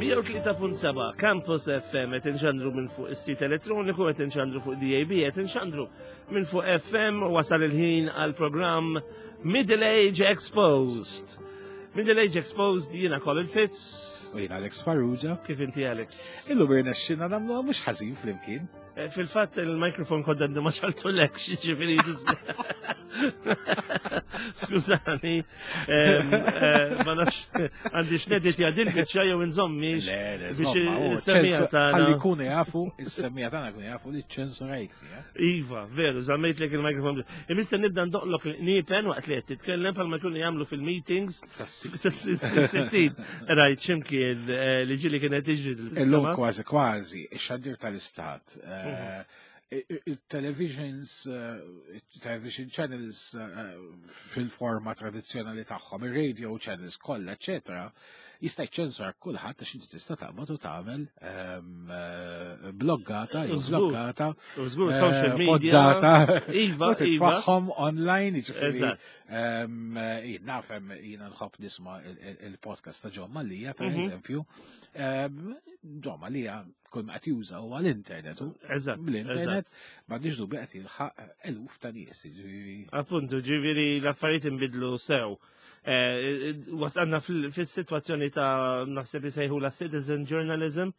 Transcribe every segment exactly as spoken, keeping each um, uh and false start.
mija u tlieta punt seba' Campus F M qed inxandru minn fuq is-sit elettroniku, qed inxandru fuq D A B, qed inxandru minn fuq F M. Wasal il-ħin għal programm Middle Age Exposed. Middle Age Exposed, jiena Colin Fitz. U jiena Alex Farrugia. Kif inti, Alex? Illum irnexxinna nagħmluha mhux ħażin flimkien. Eh, fil-fatt il-mikrofon kodda għandu ma ċaltulek, ġifieri Skużani, ehm, eh, ma nafx għandi x'nedit jadil biċċa jew inżommix Le, le, biex żomma, oh, is-semmija ċensu- tagħna. Ħalli jkunu jafu, is-semmija tagħna jkunu jafu li ċensurajtni, eh? Iva, veru, żammejtlek il-mikrofon. Imissa nibda ndoqlok niepen waqt li qed titkellem bħalma jkunu jagħmlu fil-meetings. Tas-sittin. Tas-sittin. Rajt x'imkien, eh, li ġieli kienet tiġri Illum dil-sistema. kważi kważi, ix-xandir tal-istat. Eh, Mhm. Il-televisions, eh, television channels, eh, fil-forma tradizzjonali tagħhom, ir-radio channels kollha, eċetera, jista' jċensor kulħadd għax inti tista' taqbad u tagħmel, ehm, eh, bloggata, jew Żgur. bloggata, U żgur, eh, social media. poddata, Iva, u iva. titfaħħom online, jiġifieri, Eżatt. ehm, jien nafhem, jiena nħobb nisma' il-, il-, il-podcast ta' John Mallia, per Mhm. eżempju. Ehm, John Mallia kull ma qed juża huwa l-internet, u Eżatt, bl-internet eżatt. m'għandix dubju qed jilħaq eluf ta' nies, jiġifieri. Appuntu, ġifieri l-affarijiet inbidlu sew. Eh, wasalna fil-, fis-sitwazzjoni ta' naħseb isejħu la citizen journalism,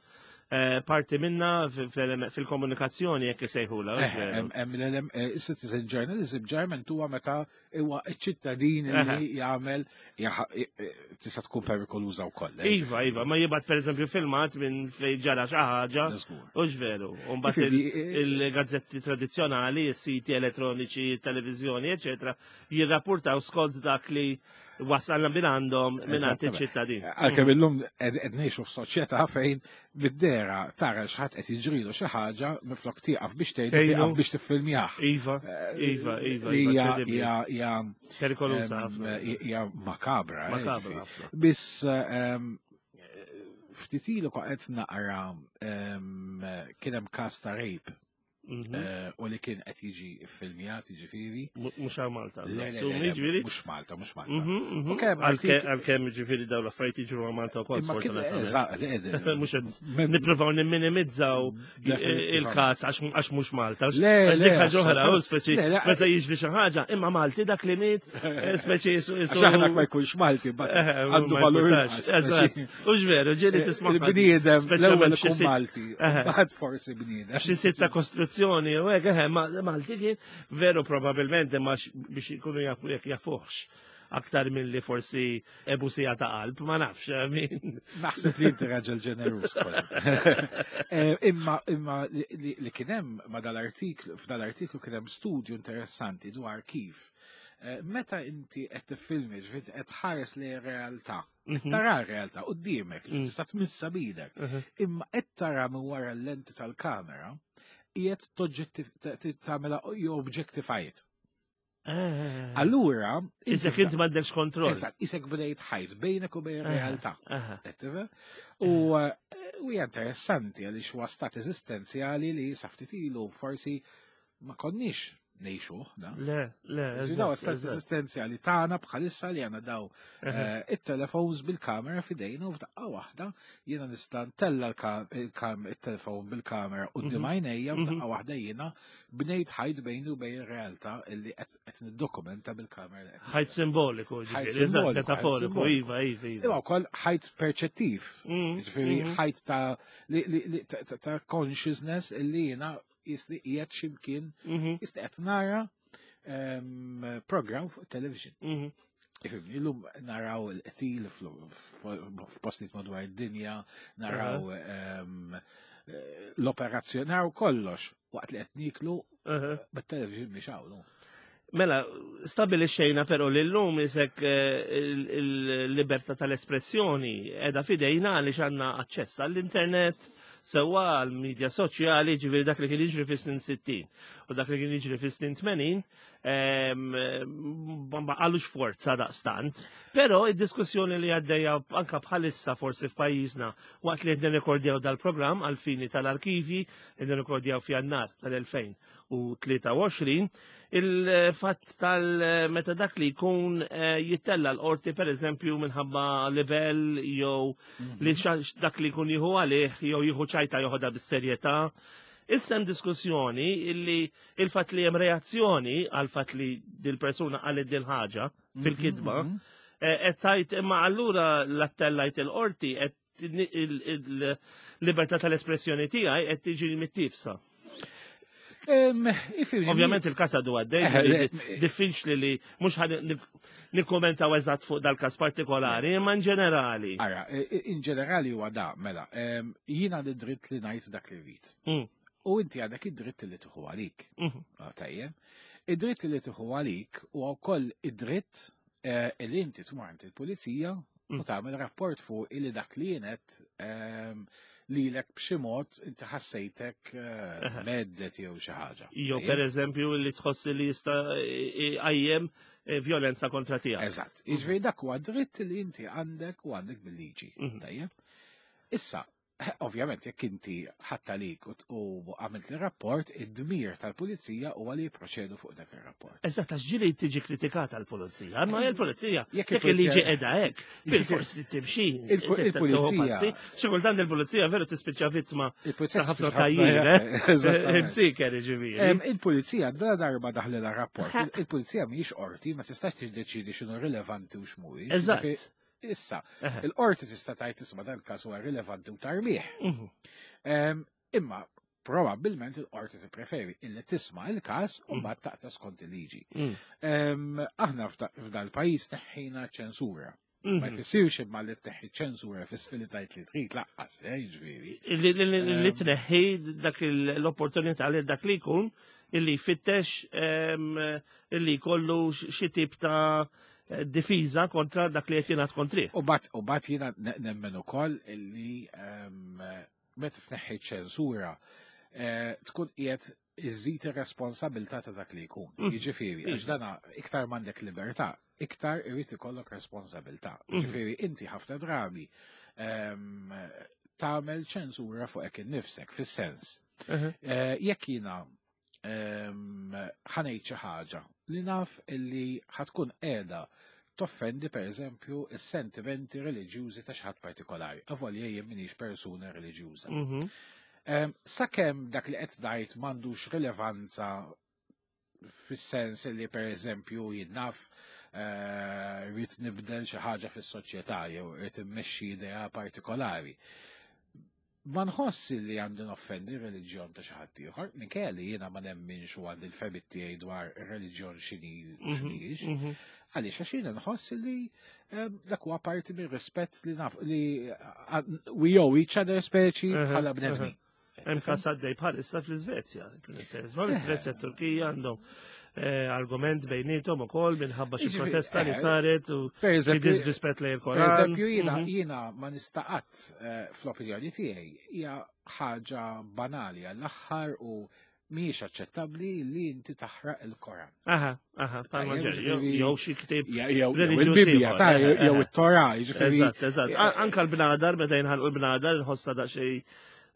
eh, parti minna fil-, fil-, fil-komunikazzjoni jekk isejħula, Eh, veru. hemm, hemm l-elem, eh, citizen journalism ġarment huwa meta huwa ċ-ċittadin li Aha. jagħmel, jaħ-, eh, eh, tista' tkun perikoluża wkoll, eh. Iva, iva, ma jibgħat pereżempju filmat minn fejn ġara xi ħaġa, Żgur. u x'veru. U mbagħad Jiġifieri, il-, eh, il-gazzetti tradizzjonali, is-siti elettroniċi, televiżjoni, eċetera, jirrapportaw skont dak li wasalna minn għandhom minn għand Eżattament. iċ-ċittadin. Għalkemm illum qed, qed ngħixu f'soċjetà fejn bid-dera tara x'ħadd qed jiġrilu xi ħaġa minflok tieqaf biex tgħidu, Tgħidu. tieqaf biex tiffilmjah. Iva, Eh, iva, iva, li iva, hija, incredibbli. hija, hija, Perikoluża em, ħafna. hija makabra, eh, Makabra ġifieri. ħafna. Biss, em, ftit ilu qed naqra, em, kien hemm każ ta' rape. Mhm. Eh, u li kien qed jiġi ffilmjat, jiġifieri. Mu-, mhux għal Malta, Le, le, le, assumi, le, ġifieri? mhux Malta, mhux Malta. Mhm, mhm. U kemm Għalke-, artik- Għalkemm ġifieri dawn l-affarijiet jiġru għal Malta wkoll, Imma kien- sfortunatament. eżatt, le, le, Mhux qed mem- nippruvaw nimminimizzaw Definitivament. il-każ għax, għax mhux Malta. Le, Għax le, dik ħaġa oħra, assolutament. u speċi Le, le, meta jiġri xi ħaġa, imma Malti dak li miet, eh, speċi jisu-, Għax jisu- aħna ma jkunx Malti, but Eh, għandu ma valur jkunx. inqas, Eżatt. speċi. U x'veru, ġieli tisma' ħadd. Il-bniedem, Speċjalment l-ewwel xi ikun sit- Malti, Eh. mbagħad forsi bniedem. Xi sit ta' kostruzzjoni, u hekk, eh, ma-, Malti kien veru probabilment imma x-, biex ikunu jafu jekk jafuhx aktar milli forsi ebusija ta' qalb, ma nafx, I mean. Naħseb li inti raġel ġenerus kollha. Eh, imma, imma li, li, li kien hemm ma dal-artiklu, f'dal-artiklu kien hemm studju interessanti dwar kif, eh, meta inti qed tiffilmi, ġifieri qed tħares li realtà, Mhm. tara r-realtà quddiemek, Mm. tista' tmissa b'idek, Mhm. imma qed tara minn wara l-lenti tal-kamera, qiegħed toġġettiv-, t-, t-, tagħmilha jew objectify it. Eh. Allura, inti Isek inti m'għandekx kontroll. Eżatt, isek bdejt ħajt bejnek u bejn Aha, realtà. aha. Qed tifhem? U, eh, u hija interessanti għaliex huwa stat eżistenzjali li sa ftit ilu forsi ma konniex ngħixuh, da? Le, le, Ġi daw eżatt, stat eżatt. eżistenzjali tagħna bħalissa li għandna daw, Aha. eh, it-telefons bil-kamera f'idejna u f'daqqa waħda jiena nista' ntella l-ka-, il-kam-, it-telefon bil-kamera quddiem Mhm. għajnejja Mhm. f'daqqa waħda jiena bnejt ħajt bejni u bejn ir-realtà illi qed, qed niddokumenta bil-kamera li qed Ħajt simboliku, Ħajt ġifieri, eżatt, simboliku, ħajt metaforiku, simboliku. iva, iva, iva. Imma wkoll ħajt perċettiv, Mhm, ġifieri mhm. ħajt ta' li, li, li, ta, ta, ta' consciousness illi jiena jisni qiegħed x'imkien, Mhm. jisni qed nara, ehm, program fuq television. Mhm. Ifimni, illum naraw il-qtil fl-, f-, f'postijiet madwar id-dinja, naraw, Aha. ehm, l-operazzjoni, naraw kollox waqt li qed niklu, Aha. bit-television mhix hawn, no. Mela, stabilixxejna però li llum isek, eh, il-, il-libertà tal-espressjoni qiegħda fidejna għaliex għandna aċċess għall-internet, Sewwa għal-medja soċjali, ġifieri dak li kien jiġri fis-snin sittin u dak li kien jiġri fis-snin tmenin, ma baqalux forza daqstant. Però id-diskussjoni li għaddejja anka bħalissa forsi f'pajjiżna waqt li qed nirrekordjaw dal-programm għal-fini tal-arkivi, qed nirrekordjaw f'Jannar tal-elfejn u tlieta u għoxrin, il-fatt tal-meta dak li jkun eh, jittella l-qorti, per eżempju, minħabba libel jew li xa- dak li jkun jieħu għalih jew jieħu ċajta joħodha bis-serjetà. Issa hemm diskussjoni illi il-fatt li hemm reazzjoni għal fatt li dil-persuna qalet dil ħaġa fil-kitba, Mhm, eh, qed tgħid imma allura l-attellajt il-qorti qed il-libertà tal-espressjoni tiegħi qed tiġi mittifsa. Em, ifhimni, Ovvjament il-kas għadu għaddej, Eh, le- diffiċli li mhux ħa nikkommentaw eżatt fuq dal-kas partikolari, imma in ġenerali. Ara, i- i- in ġenerali huwa da, mela, em, jiena għandi dritt li ngħid dak li rrid. Mm, U inti għandek id-dritt li tieħu għalik. mhm, Ah, tajjeb. Id-dritt li tieħu għalik huwa wkoll id-dritt eh, li inti tmur għand il-pulizija u Mm. tagħmel rapport fuq illi dak li jienet ehm, lilek b'xi mod inti ħassejtek eh, Aha. mhedded jew xi ħaġa. Jew Tajjeb? per eżempju li tħossi li jista' jqajjem eh, violenza kontra tiegħek. Eżatt. Jiġifieri dak huwa dritt li inti għandek u għandek bil-liġi. Mhm. Tajjeb? Issa, ovvjament jekk inti ħadd għalik u u għamilt il-rapport, id-dmir tal-pulizija huwa li jipproċedu fuq dak ir-rapport. Eżatt, għax ġieli tiġi kritikata l-pulizija. Ma il-pulizija, Jekk jekk il-liġi il-pulizija- qiegħda hekk, bil-forsi timxi. Il- il-pulizija- Xi kultant il-pulizija veru tispiċċa vittma Il-pulizija ta' ħafna tispiċċa tajjir, eh? Eżattament. Imsiker, ġifieri. Em, Il-pulizija da darba daħlilha rapport. Il- Il-pulizija mhijiex qorti, ma tistax tiddeċidi x'inhu rilevanti u x'mhuwiex. Eżatt. Ġifieri, issa, Eħe. il-qorti tista' tgħid, isma', dal-każ huwa rilevanti u tarmih. Mhm. Em, Imma probabbilment il-qorti tippreferi illi tisma' il-każ u Mm. mbagħad taqta' skont il-liġi. Mm. Em, Aħna f'da- f'dal-pajjiż neħħejna ċensura. Ma Mhm. jfissirx imma li tneħħi ċensura fisser li tgħid li trid lanqas, eh, jiġifieri. Li li- li- li Em. tneħħi dak il- l-opportunità li dak li jkun illi jfittex em, illi jkollu xi tip ta' difiża kontra dak li qed jingħad kontrih. U bat, u bat jiena ne- nemmen ukoll illi em, meta tneħħi ċensura eh, tkun qiegħed iżżid ir-responsabilità ta' dak li jkun. Mm. Jiġifieri, għax dana iktar m'għandek libertà, iktar irid ikollok responsabilità. Mhm. Jiġifieri inti ħafna drabi em, tagħmel ċensura fuq hekk innifsek, fis-sens. Mhm. Eh, Jekk jiena em, ħa ngħid xi ħaġa li naf illi ħa tkun qiegħda toffendi, per eżempju, is-sentimenti reliġjużi ta' xi ħadd partikolari, avolja jien m'iniex persuna reliġjuża. Mhm. Em, Sakemm dak li qed ngħid m'għandux rilevanza fis-sens li, per eżempju, jien naf, eh, rrid nibdel xi ħaġa fis-soċjetà jew rrid immexxi idea partikolari. Ma nħoss li għandi noffendi reliġjon ta' xi ħadd ieħor, minkejja li jiena ma nemminx u għandi l-fehmiet tiegħi dwar ir-reliġjon x'inhi Mhm. x'inhiex. Mhm. Għaliex, għax jiena nħoss li em, dak huwa parti mir rispett li naf li uh, we owe each other, speċi Mhm, bħala bnedmin. Hemm każ għaddej bħalissa fl-Iżvezja. L-Iżvezja, Turkija għandhom eh, argument bejnietom ukoll minħabba xi Jiġifieri, protesta li eh, saret u Per xi eżempju, disrispett lejn per il-Koran. eżempju jiena Mhm. jiena ma nista' qatt, eh, fl-opinjoni tiegħi hija ħaġa banali għall-aħħar u mhijiex aċċettabbli li inti taħraq il-Koran. Aha, aha, palma Tajjeb, ġej, jew ġifieri- jew xi ktieb Jew reliġjuż il-Bibja, ieħor, ta' eh, jew eh. it-Torah, jiġifieri. Eżatt, eżatt. An- Anka l-bnadar, meta jinħalqu l-bnadar, nħossa daqsxejn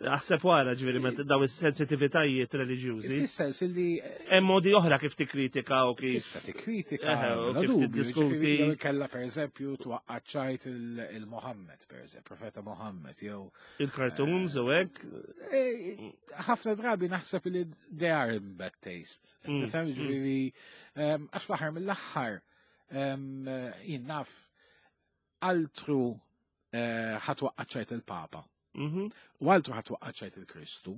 aħseb wara, ġifieri, meta daw is-sensitivitajiet reliġjużi. Fis-sens li Hemm modi oħra kif tikkritika u kif. tista' tikkritika, Eħe, u bla kif dubju, tiddiskuti. jiġifieri jew kella, per eżempju, twaqqaċċajt il-Mohammed, per eżempju, profeta Mohammed, jew Il-cartoons u hekk. Eh, ħafna drabi naħseb li they are in bad taste. Mm, Tifhem, mm. ġifieri, em, għax fl-aħħar mill-aħħar em, jien naf altru eh, ħa twaqqaċċajt il-Papa. Mhm, U altru ħa twaqqaċċajt il-Kristu.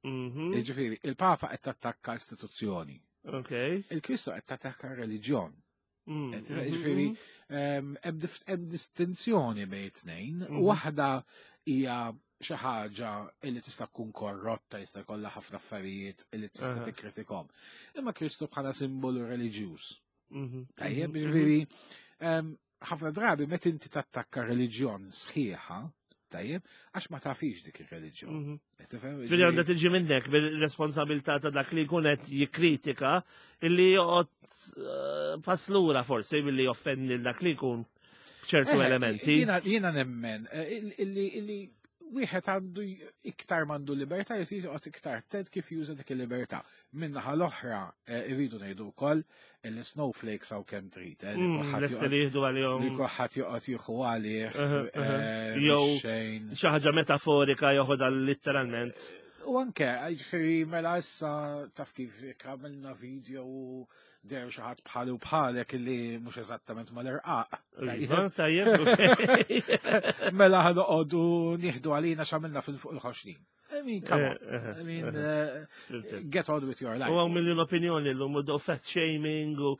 mhm. Ġifieri, il-Papa qed tattakka istituzzjoni. Ok. Il-Kristu qed tattakka reliġjon. Mm, Qed- mhm, Ġifieri, mhm. em, hemm dif- hemm distinzjoni bejn it-tnejn. Mhm. Waħda hija xi ħaġa li tista' tkun korrotta, jista' jkollha ħafna affarijiet li tista' Aha. tikkritikom. Imma Kristu bħala simbolu reliġjuż. Mhm, Tajjeb, mhm, ġifieri, em, ħafna drabi meta inti tattakka reliġjon sħiħa, Tajjeb, għax ma tafix dik ir-reliġjon. Mhm. Tifhem? Ġifieri għandha tiġi minnek bil-responsabilità ta' dak li jkun qed jikkritika illi joqgħod eh, pass lura forsi billi joffendi lil dak li jkun b'ċertu Eh, elementi. Jiena jiena nemmen eh, illi illi wieħed għandu j- iktar m'għandu libertà jisir joqgħod iktar attent kif juża dik il-libertà. Min-naħa l-oħra eh, irridu ngħidu wkoll illi snowflakes hawn kemm trid. eh, li Mm, kulħadd Lesti joqgħod- li jieħdu għalihom li kulħadd joqgħod jieħu għalih Aha, aha. eh, Jew- xejn. xi ħaġa metaforika joħodha literalment. U anke, ġifieri mela issa taf kif jekk għamilna video u deher xi ħadd bħali u bħalek illi mhux eżattament mal-irqaq. Iva, tajjeb. ok. Mela ħa noqogħdu nieħdu għalina x'għamilna fil-fuq il-ħoxnin. I mean, come on. Eh, I mean, uh, get on with your life. U hawn miljon opinjoni l-lum u fat shaming u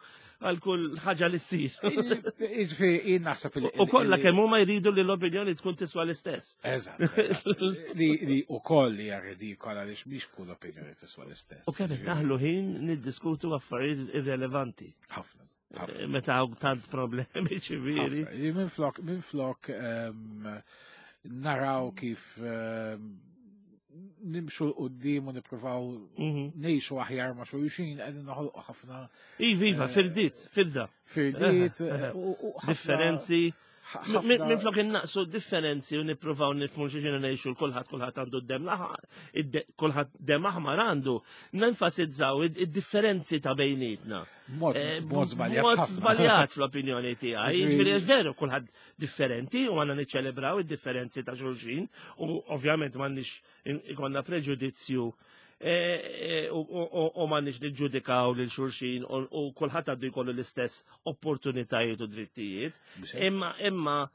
għal kull ħaġa li ssir. Ġifieri, jien naħseb li. U kollha kemm huma jridu li l-opinjoni tkun tiswa l-istess. Eżatt, eżatt. Li li u koll li hija ridikola għaliex mhix kull opinjoni tiswa l-istess. U kemm naħlu ħin niddiskutu affarijiet irrelevanti. Ħafna. ħafna. Meta hawn tant problemi ċivili. ħafna. Li Minn flok, minn flok ehm, naraw kif ehm, nimxu 'l quddiem u nippruvaw Mhm. ngħixu aħjar ma' xulxin, qegħdin noħolqu ħafna Iva, iva, Eh, firdiet, firda. firdiet Eh, eh, u u ħafna- Differenzi. ħafna- Minn flok innaqsu differenzi u nippruvaw nifhmu xi ngħixu kulħadd kulħadd għandu d-dem laħar, kulħadd dem aħmar għandu, nenfasizzaw id-differenzi ta' bejnietna. Mod Eh, mod żbaljat. Mod ħafna. żbaljat fl-opinjoni tiegħi. Ġifieri- Ġifieri għax veru kulħadd differenti u għandna niċċelebraw id-differenzi ta' xulxin u ovvjament m'għandniex in- ikollna preġudizzju eh, eh, u u- u m'għandniex niġġudikaw lil xulxin u u kulħadd għandu jkollu l-istess opportunitajiet u drittijiet. Imma imma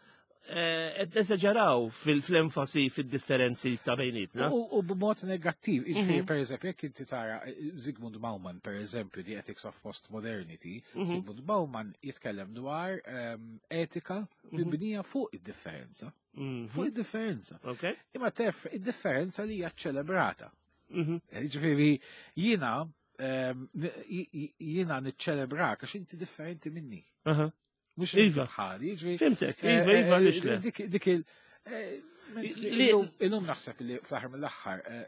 eh, qed nesaġeraw fil-enfasi fid-differenzi ta' bejnietna. U u b'mod negattiv, jiġifieri Mhm. per eżempju, jekk inti tara eh, Zygmunt Bauman, per eżempju, The Ethics of Postmodernity, Mhm. Zygmunt Bauman jitkellem dwar ehm, etika mibnija fuq id-differenza. Mhm. Fuq id-differenza. Ok? Imma tef id-differenza li hija ċelebrata. Mhm. Ġifieri, jiena ehm, n- j- j- jiena niċċelebrak għax inti differenti minni. Aha. Mhux inti Iva. bħali, ġifieri. Fhimtek, eh, iva, iva, eh, għaliex le. Dik dik il- eh, mentri Li- illum- Illum naħseb li fl-aħħar mill-aħħar eh,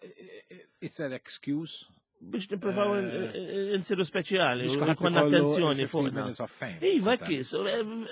eh, it's an excuse Biex nippruvaw Eh, insiru speċjali biex u kulħadd jkollna ikollu attenzjoni fifteen fuqna. minutes of fame. Iva, Kultant. kis,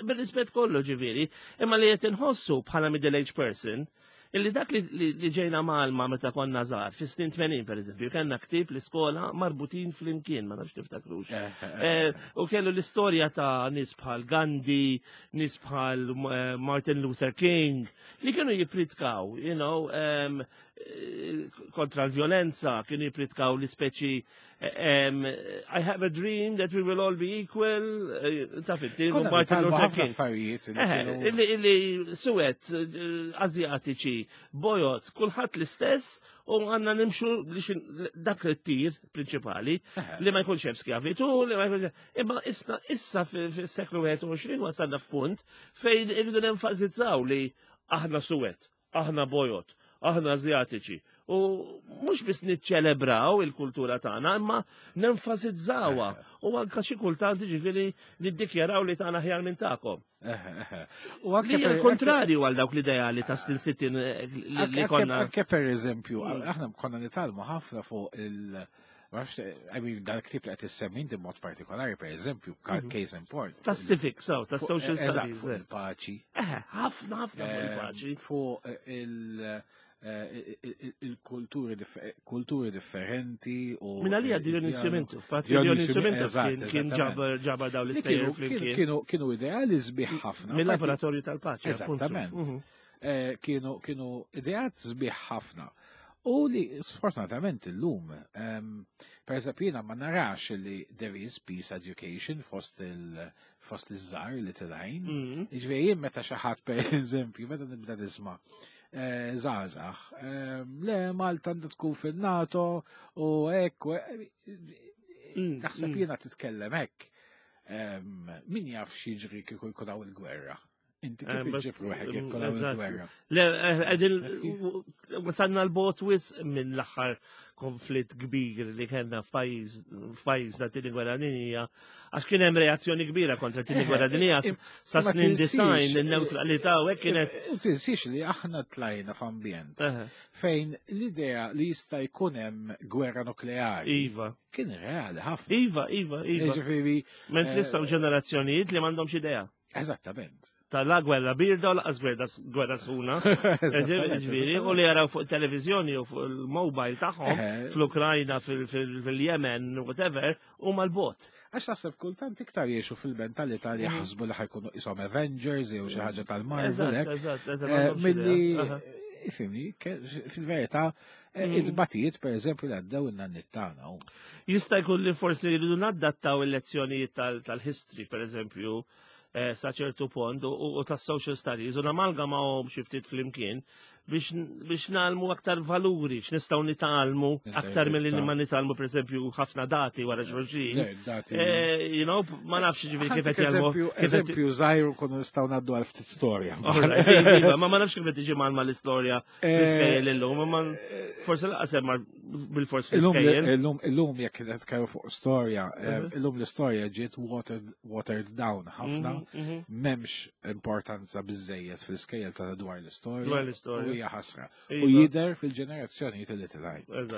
bil-rispett kollu ġifieri, imma li qed inħossu bħala middle age person, illi dak li, li, li ġejna mgħallma meta konna żgħar, fis-snin tmenin per eżempju, kellna ktieb l-iskola Marbutin flimkien, ma nafx tiftakrux. Eh, eh, Eh, U kellu l-istorja ta' nies bħal Gandhi, nies bħal eh, Martin Luther King, li kienu jipritkaw, you know, um, eh, kontra l-violenza, kienu jipritkaw l-ispeċi um, "I have a dream that we will all be equal", eh, taf inti, Konna Martin nitgħallmu Luther ħafna King. affarijiet li Eh, kienu- Illi, illi suwed, eh, Azjatiċi, bojod, kulħadd l-istess u għandna nimxu li xin- dak it-tir prinċipali Eh, li ma jkunx hemm skjavitu, li ma jkunx. Imma issa issa fis-seklu wieħed u għoxrin wasalna f'punt fejn irridu nenfasizzaw li aħna suwed, aħna bojod, aħna Azjatiċi. U mhux biss niċċelebraw il-kultura tagħna, imma nenfasizzawha u anka xi kultant ġifieri niddikjaraw li tagħna aħjar minn tagħkom. eh, eh. U anke Li hija per- kontrarju għal dawk l-ideali ta' snin sittin eh, li Anke- li anke- konna. Anke per eżempju, Mm. aħna konna nitgħallmu ħafna fuq il- ma nafx, I mean, dal-ktib li qed issemmi inti mod partikolari, per eżempju, Mhm. case in point. Ta' civic, so, ta' Fuq- social eżatt, studies. fuq il-paċi. Eh, ħafna, ħafna fuq eh, il-paċi. Fuq il- eh, il- il-kulturi differ- kulturi differenti u Minna li għad Dionisio Mintoff, Patri Dionisio Dionisio Mintoff eżatt, kien kien eżattament. ġabar ġabar dawn Li l-istejjer kienu- kienu flimkien. kienu kienu ideali sbieħ ħafna. Mill-laboratorju tal-paċi. appuntu. Eżattament. Mhm. Eh, kienu kienu ideat sbieħ ħafna. U li sfortunatament illum, um, per eżempju jiena ma narax li there is peace education fost il fost iż-żgħar li tilgħin. Mhm. Ġifieri jien meta xi ħadd per eżempju, meta nibda nisma' eh, żgħażagħ, ehm, le Malta għandha tkun fil-NATO u hekk, u hekk, Mm, naħseb mm. jiena titkellem hekk. Ehm, Min jaf x'jiġri kieku jkun hawn il-gwerra. Inti kif iġġib ruħek jekk tkun hawn il-gwerra? Le, qegħdin wasalna l-bot wisq minn l-aħħar konflitt kbir li kellna f'pajjiż f'pajjiżna tieni gwerra dinjija, għax kien hemm reazzjoni kbira kontra tieni gwerra dinjija sa snin design in-newtralità u hekk kienet. U tinsiex li aħna tlajna f'ambjent fejn l-idea li jista' jkun hemm gwerra nukleari. Iva. Kien reali ħafna. Iva, iva, iva. Ġifieri. Mentri issa ġenerazzjonijiet li m'għandhomx idea. Eżattament. Tal-la gwerra birda u laqas gwerra sħuna. Ġifieri, u li jaraw fuq televizjoni u fuq il-mobile tagħhom fl-Ukrajna, fil-Yemen, whatever, u mal-bot. Għax naħseb kultant iktar jiexu fil-mentalità li jaħsbu li ħajkunu isom Avengers jew xi ħaġa tal-Marvel. Eżatt, eżatt. Milli, ifhimni, fil-verità, id-batijiet, per eżempju, li għaddew in-nanniet tagħna. Jista' jkun li forsi jridu nadattaw il-lezzjonijiet tal-history, per eżempju, sa ċertu punt u ta' social studies u namalgamawhom xi ftit flimkien biex nagħlmu aktar valuri, x'nistgħu nitgħallmu aktar milli ma nitgħallmu pereżempju ħafna dati wara xulxin. You know, ma nafx ġifieri kif qed jagħmlu. Eżempju żgħir kunu nistgħu ngħaddu għal ftit storja. Ma ma nafx kif qed tiġi mal l-istorja fl-iskejjel illum, ma forsi laqas hemm bil-fors fl-iskejjel. Illum illum jekk qed tkellmu fuq storja, illum l-istorja ġiet watered down ħafna, m'hemmx importanza biżejjed fl-iskejjel ta' dwar l-istorja. Dwar l-istorja. Hija ħasra. U jidher fil-ġenerazzjonijiet li tilgħin.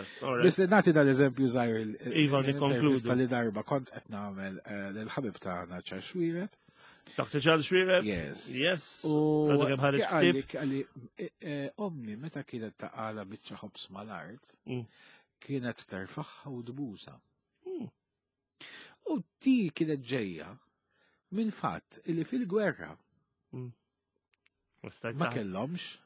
Biss nagħti dal-eżempju żgħir Iva, nikkonkludu. Li darba kont qed nagħmel lill-ħabib tagħna Charles Xuereb. Doctor Charles Xuereb? Yes. Yes. U għalli għalli ommi meta kienet taqala biċċa ħobs mal-art, kienet terfaħħa u dbusa. U ti kienet ġejja minn fatt li fil-gwerra ma kellhomx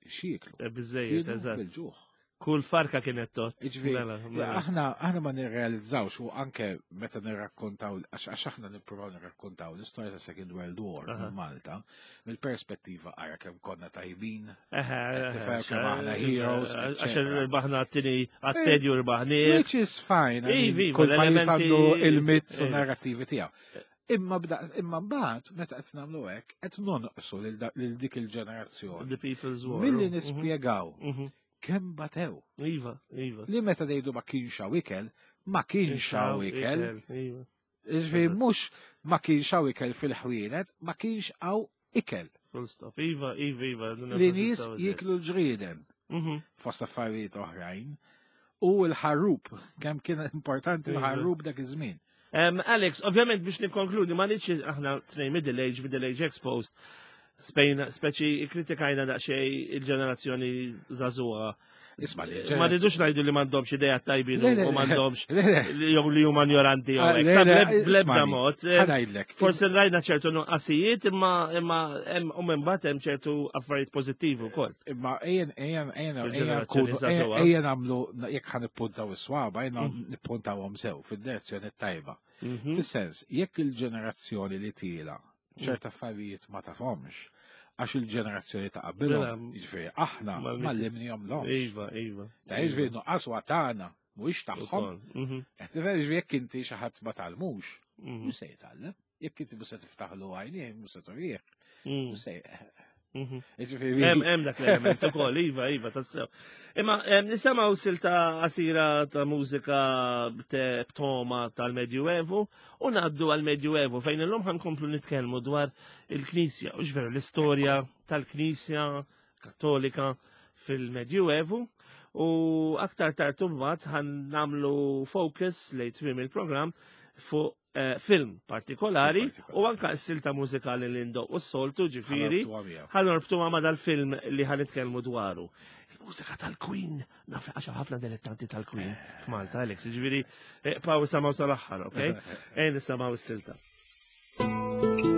xieklu. Biżejjed, eżatt. Bil-ġuħ. Kull farka kienet tot. Aħna aħna ma nirrealizzawx u anke meta nirrakkontaw, għax aħna nippruvaw nirrakkontaw l-istorja ta' Second World War minn Malta, mill-perspettiva ara kemm konna tajbin, kemm aħna heroes, għax irbaħna t-tieni assedju rbaħni. Which is fine. Kull pajjiż għandu il-myths u narrativi tiegħu. Imma imma mbagħad meta qed nagħmlu hekk qed nonqsu lil dik il-ġenerazzjoni. The People's War. Milli nispjegaw kemm batew. Iva, iva. Li meta ngħidu ma kienx hawn ikel, ma kienx hawn ikel. Ġifieri mhux ma kienx hawn ikel fil-ħwienet, ma kienx hawn ikel. Full stop. Iva, iva, iva. Li nies jieklu l-ġrieden. Fost affarijiet oħrajn. U l-ħarrub, kemm kien importanti l-ħarrub dak iż-żmien. Um, Alex, ovvjament biex nikkonkludi, ma nix aħna tnejn middle age, middle age exposed, spejna, speċi kritikajna daqsxejn il-ġenerazzjoni żagħżugħa. Isma' li Ma rridux ngħidu li m'għandhomx idea tajbin u m'għandhomx jew li huma ignoranti jew hekk. Bl-ebda mod. Ħanajdlek. Forsi rajna ċertu nuqqasijiet imma imma hemm u mbagħad hemm ċertu affarijiet pożittivi wkoll. Imma ejjen ejjen ejjen ejjen nagħmlu jekk ħa nippuntaw is-swaba, ejjen nippuntawhom sew fid-direzzjoni tajba. Fis-sens, jekk il-ġenerazzjoni li tiela ċerta affarijiet ma tafhomx, għax il-ġenerazzjoni ta' qabilhom, jiġifieri aħna m'għallimnihom lhomx. Iva, iva. Ta' jiġifieri nuqqas huwa tagħna, mhuwiex tagħhom. Qed tifhem jiġifieri jekk inti xi ħadd ma tgħallmux, mhux se jitgħallem. Jekk inti mhux se tiftaħlu għajnejh, mhux se turih. Mhux se Hemm hemm dak l-element ukoll, iva, iva, tassew. Imma nisimgħu silta qasira ta' mużika b'toma tal-Medjuevu u ngħaddu għall-Medjuevu fejn illum ħankomplu nitkellmu dwar il-Knisja, u x'veru l-istorja tal-Knisja Kattolika fil-Medjuevu u aktar tard imbagħad ħan nagħmlu focus lejn tmiem il-programm fuq film partikolari u anka s-silta mużikali li ndoq u s-soltu ġifiri ħanorbtuha ma dal-film li ħanitkellmu dwaru. Il-mużika tal-Queen, naf għax ħafna dilettanti tal-Queen f'Malta, Alex, ġifiri paw samaw sal-aħħar, ok? Ejn nisamaw s-silta. Thank you.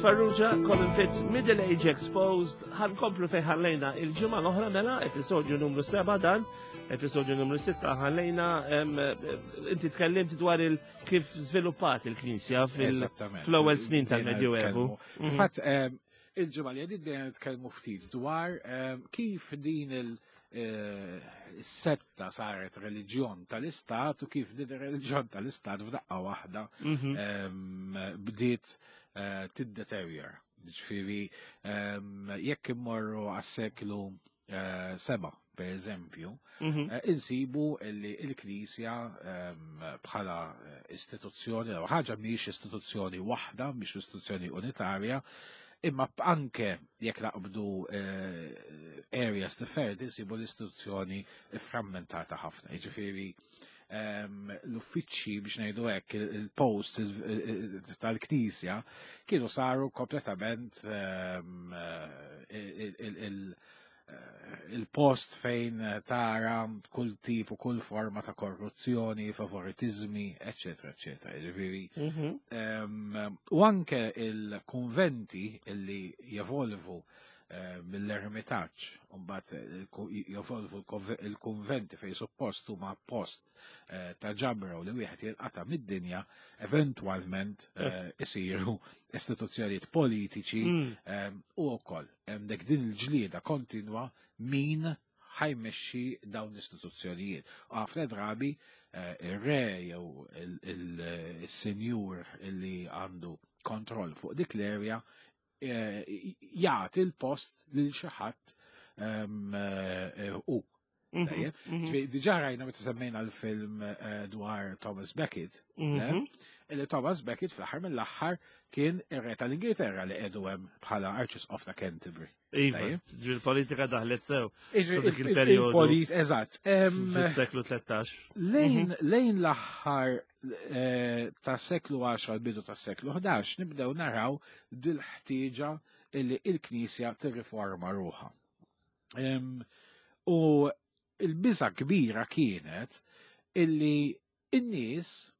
Farrugia, Colin Fitz, Middle Age Exposed, ħa nkomplu fejn ħallejna il-ġimgħa l-oħra mela, episodju numru seba' dan, episodju numru sitta ħallejna, em, inti tkellimt dwar il kif żviluppat il-Knisja fil- Eżattament. fl-ewwel snin Bdejna tal-Medjuevu. nitkellmu. Fatt, em, il-ġimgħa li għaddiet bdejna nitkellmu ftit dwar em, kif din il- eh, setta saret reliġjon tal-istat u kif din ir-reliġjon tal-istat f'daqqa waħda Mhm. em, bdiet eh, tiddeteriora. Ġifieri, em, jekk immorru għas-seklu eh, seba, per eżempju, Mhm. eh, insibu li il-Knisja em, bħala eh, istituzzjoni, jew ħaġa mhijiex istituzzjoni waħda, mhix istituzzjoni unitarja, imma anke jekk naqbdu eh, areas differenti, insibu l-istituzzjoni frammentata ħafna. Jiġifieri em, l-uffiċċji biex ngħidu hekk, il-post il- il- tal-Knisja kienu saru kompletament em, eh, il- il- il- eh, il-post fejn tara kull tip u kull forma ta' korruzzjoni, favoritizmi, eccetera, eccetera. Ġifieri, Mhm. em, u anke il-konventi illi jevolvu eh, mill-ermitaġġ, u mbagħad jevolvu il-konventi fejn suppost huma post eh, ta' ġabra u li wieħed jinqata' mid-dinja, eventwalment eh, isiru istituzzjonijiet politiċi Mm. em, u wkoll hemm dik din il-ġlieda kontinwa min ħa jmexxi dawn l-istituzzjonijiet. U ħafna drabi eh, ir-re jew il- il- il-senjur illi għandu kontroll fuq dik l-area eh, jagħti l-post lil xi ħadd em, eh, u. Mhm. Tajjeb? Mhm. Ġifieri, diġà rajna meta semmejna l-film eh, dwar Thomas Becket, Mhm. illi Thomas Becket fl-aħħar mill-aħħar kien ir-re tal-Ingilterra li qiegħdu hemm bħala Archbishop ta' Canterbury. Iva, Tajjeb. ġifieri il-politika daħlet sew Iġri, dik il-perjodu. Il-polit, eżatt. Em, fis-seklu tlettax. Lejn lejn l-aħħar eh, ta' seklu għaxra l-bidu ta' seklu ħdax nibdew naraw dil-ħtieġa illi il-Knisja tirriforma ruħha. Em, U il-biża kbira kienet illi in-nies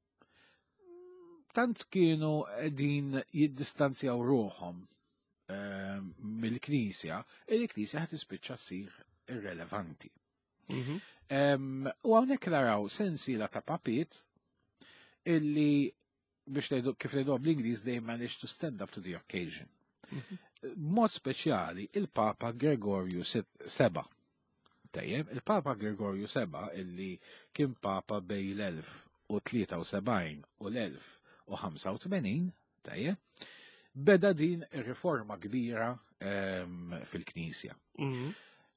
tant kienu din jiddistanzjaw ruħhom em, mill-Knisja, il-Knisja ħa tispiċċa ssir irrelevanti. Mhm. Em, U hawnhekk naraw sensiela ta' papiet illi biex ngħidu kif ngħidu bl-Ingliż they managed to stand up to the occasion. Mod speċjali il-Papa Gregorju seba. Tajjeb, il-Papa Gregorju seba illi kien Papa bejn l-elf u tlieta u sebgħin u l-elf u ħamsa u tmenin, tajjeb, beda din ir-riforma kbira em, fil-Knisja. Mhm.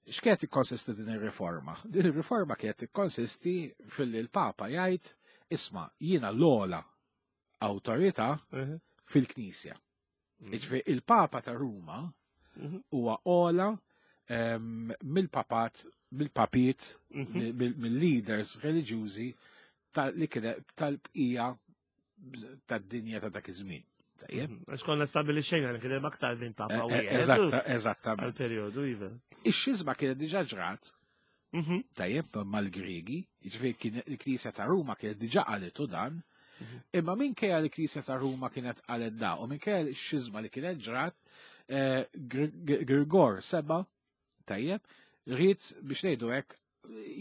X'kienet ikkonsisti din ir-riforma? Din ir-riforma kienet ikkonsisti fil il-Papa jgħid isma' jiena l-ogħla awtorità Mhm. fil-Knisja. Jiġifieri il-Papa ta' Ruma Mhm. huwa ogħla em, mill-papat, mill-papiet, Mhm. mill- mill-leaders reliġjużi tal- li kien tal-bqija tad-dinja ta' dak iż-żmien. Tajjeb? Mhm. Għax konna stabilixxejna li kien hemm aktar minn papa Eh, eh, wieħed. Eżatta, eżattament. Għal-perjodu, iva. Ix-xizma kienet diġà ġrat Mhm. tajjeb mal-Griegi, jiġifieri kien il-Knisja ta' Ruma kienet diġà qalitu dan, imma minkejja l-Knisja ta' Ruma kienet qalet da, u minkejja x-xizma li kienet ġrat, eh, Gr- Gr- Grigor seba, tajjeb, ried biex ngħidu hekk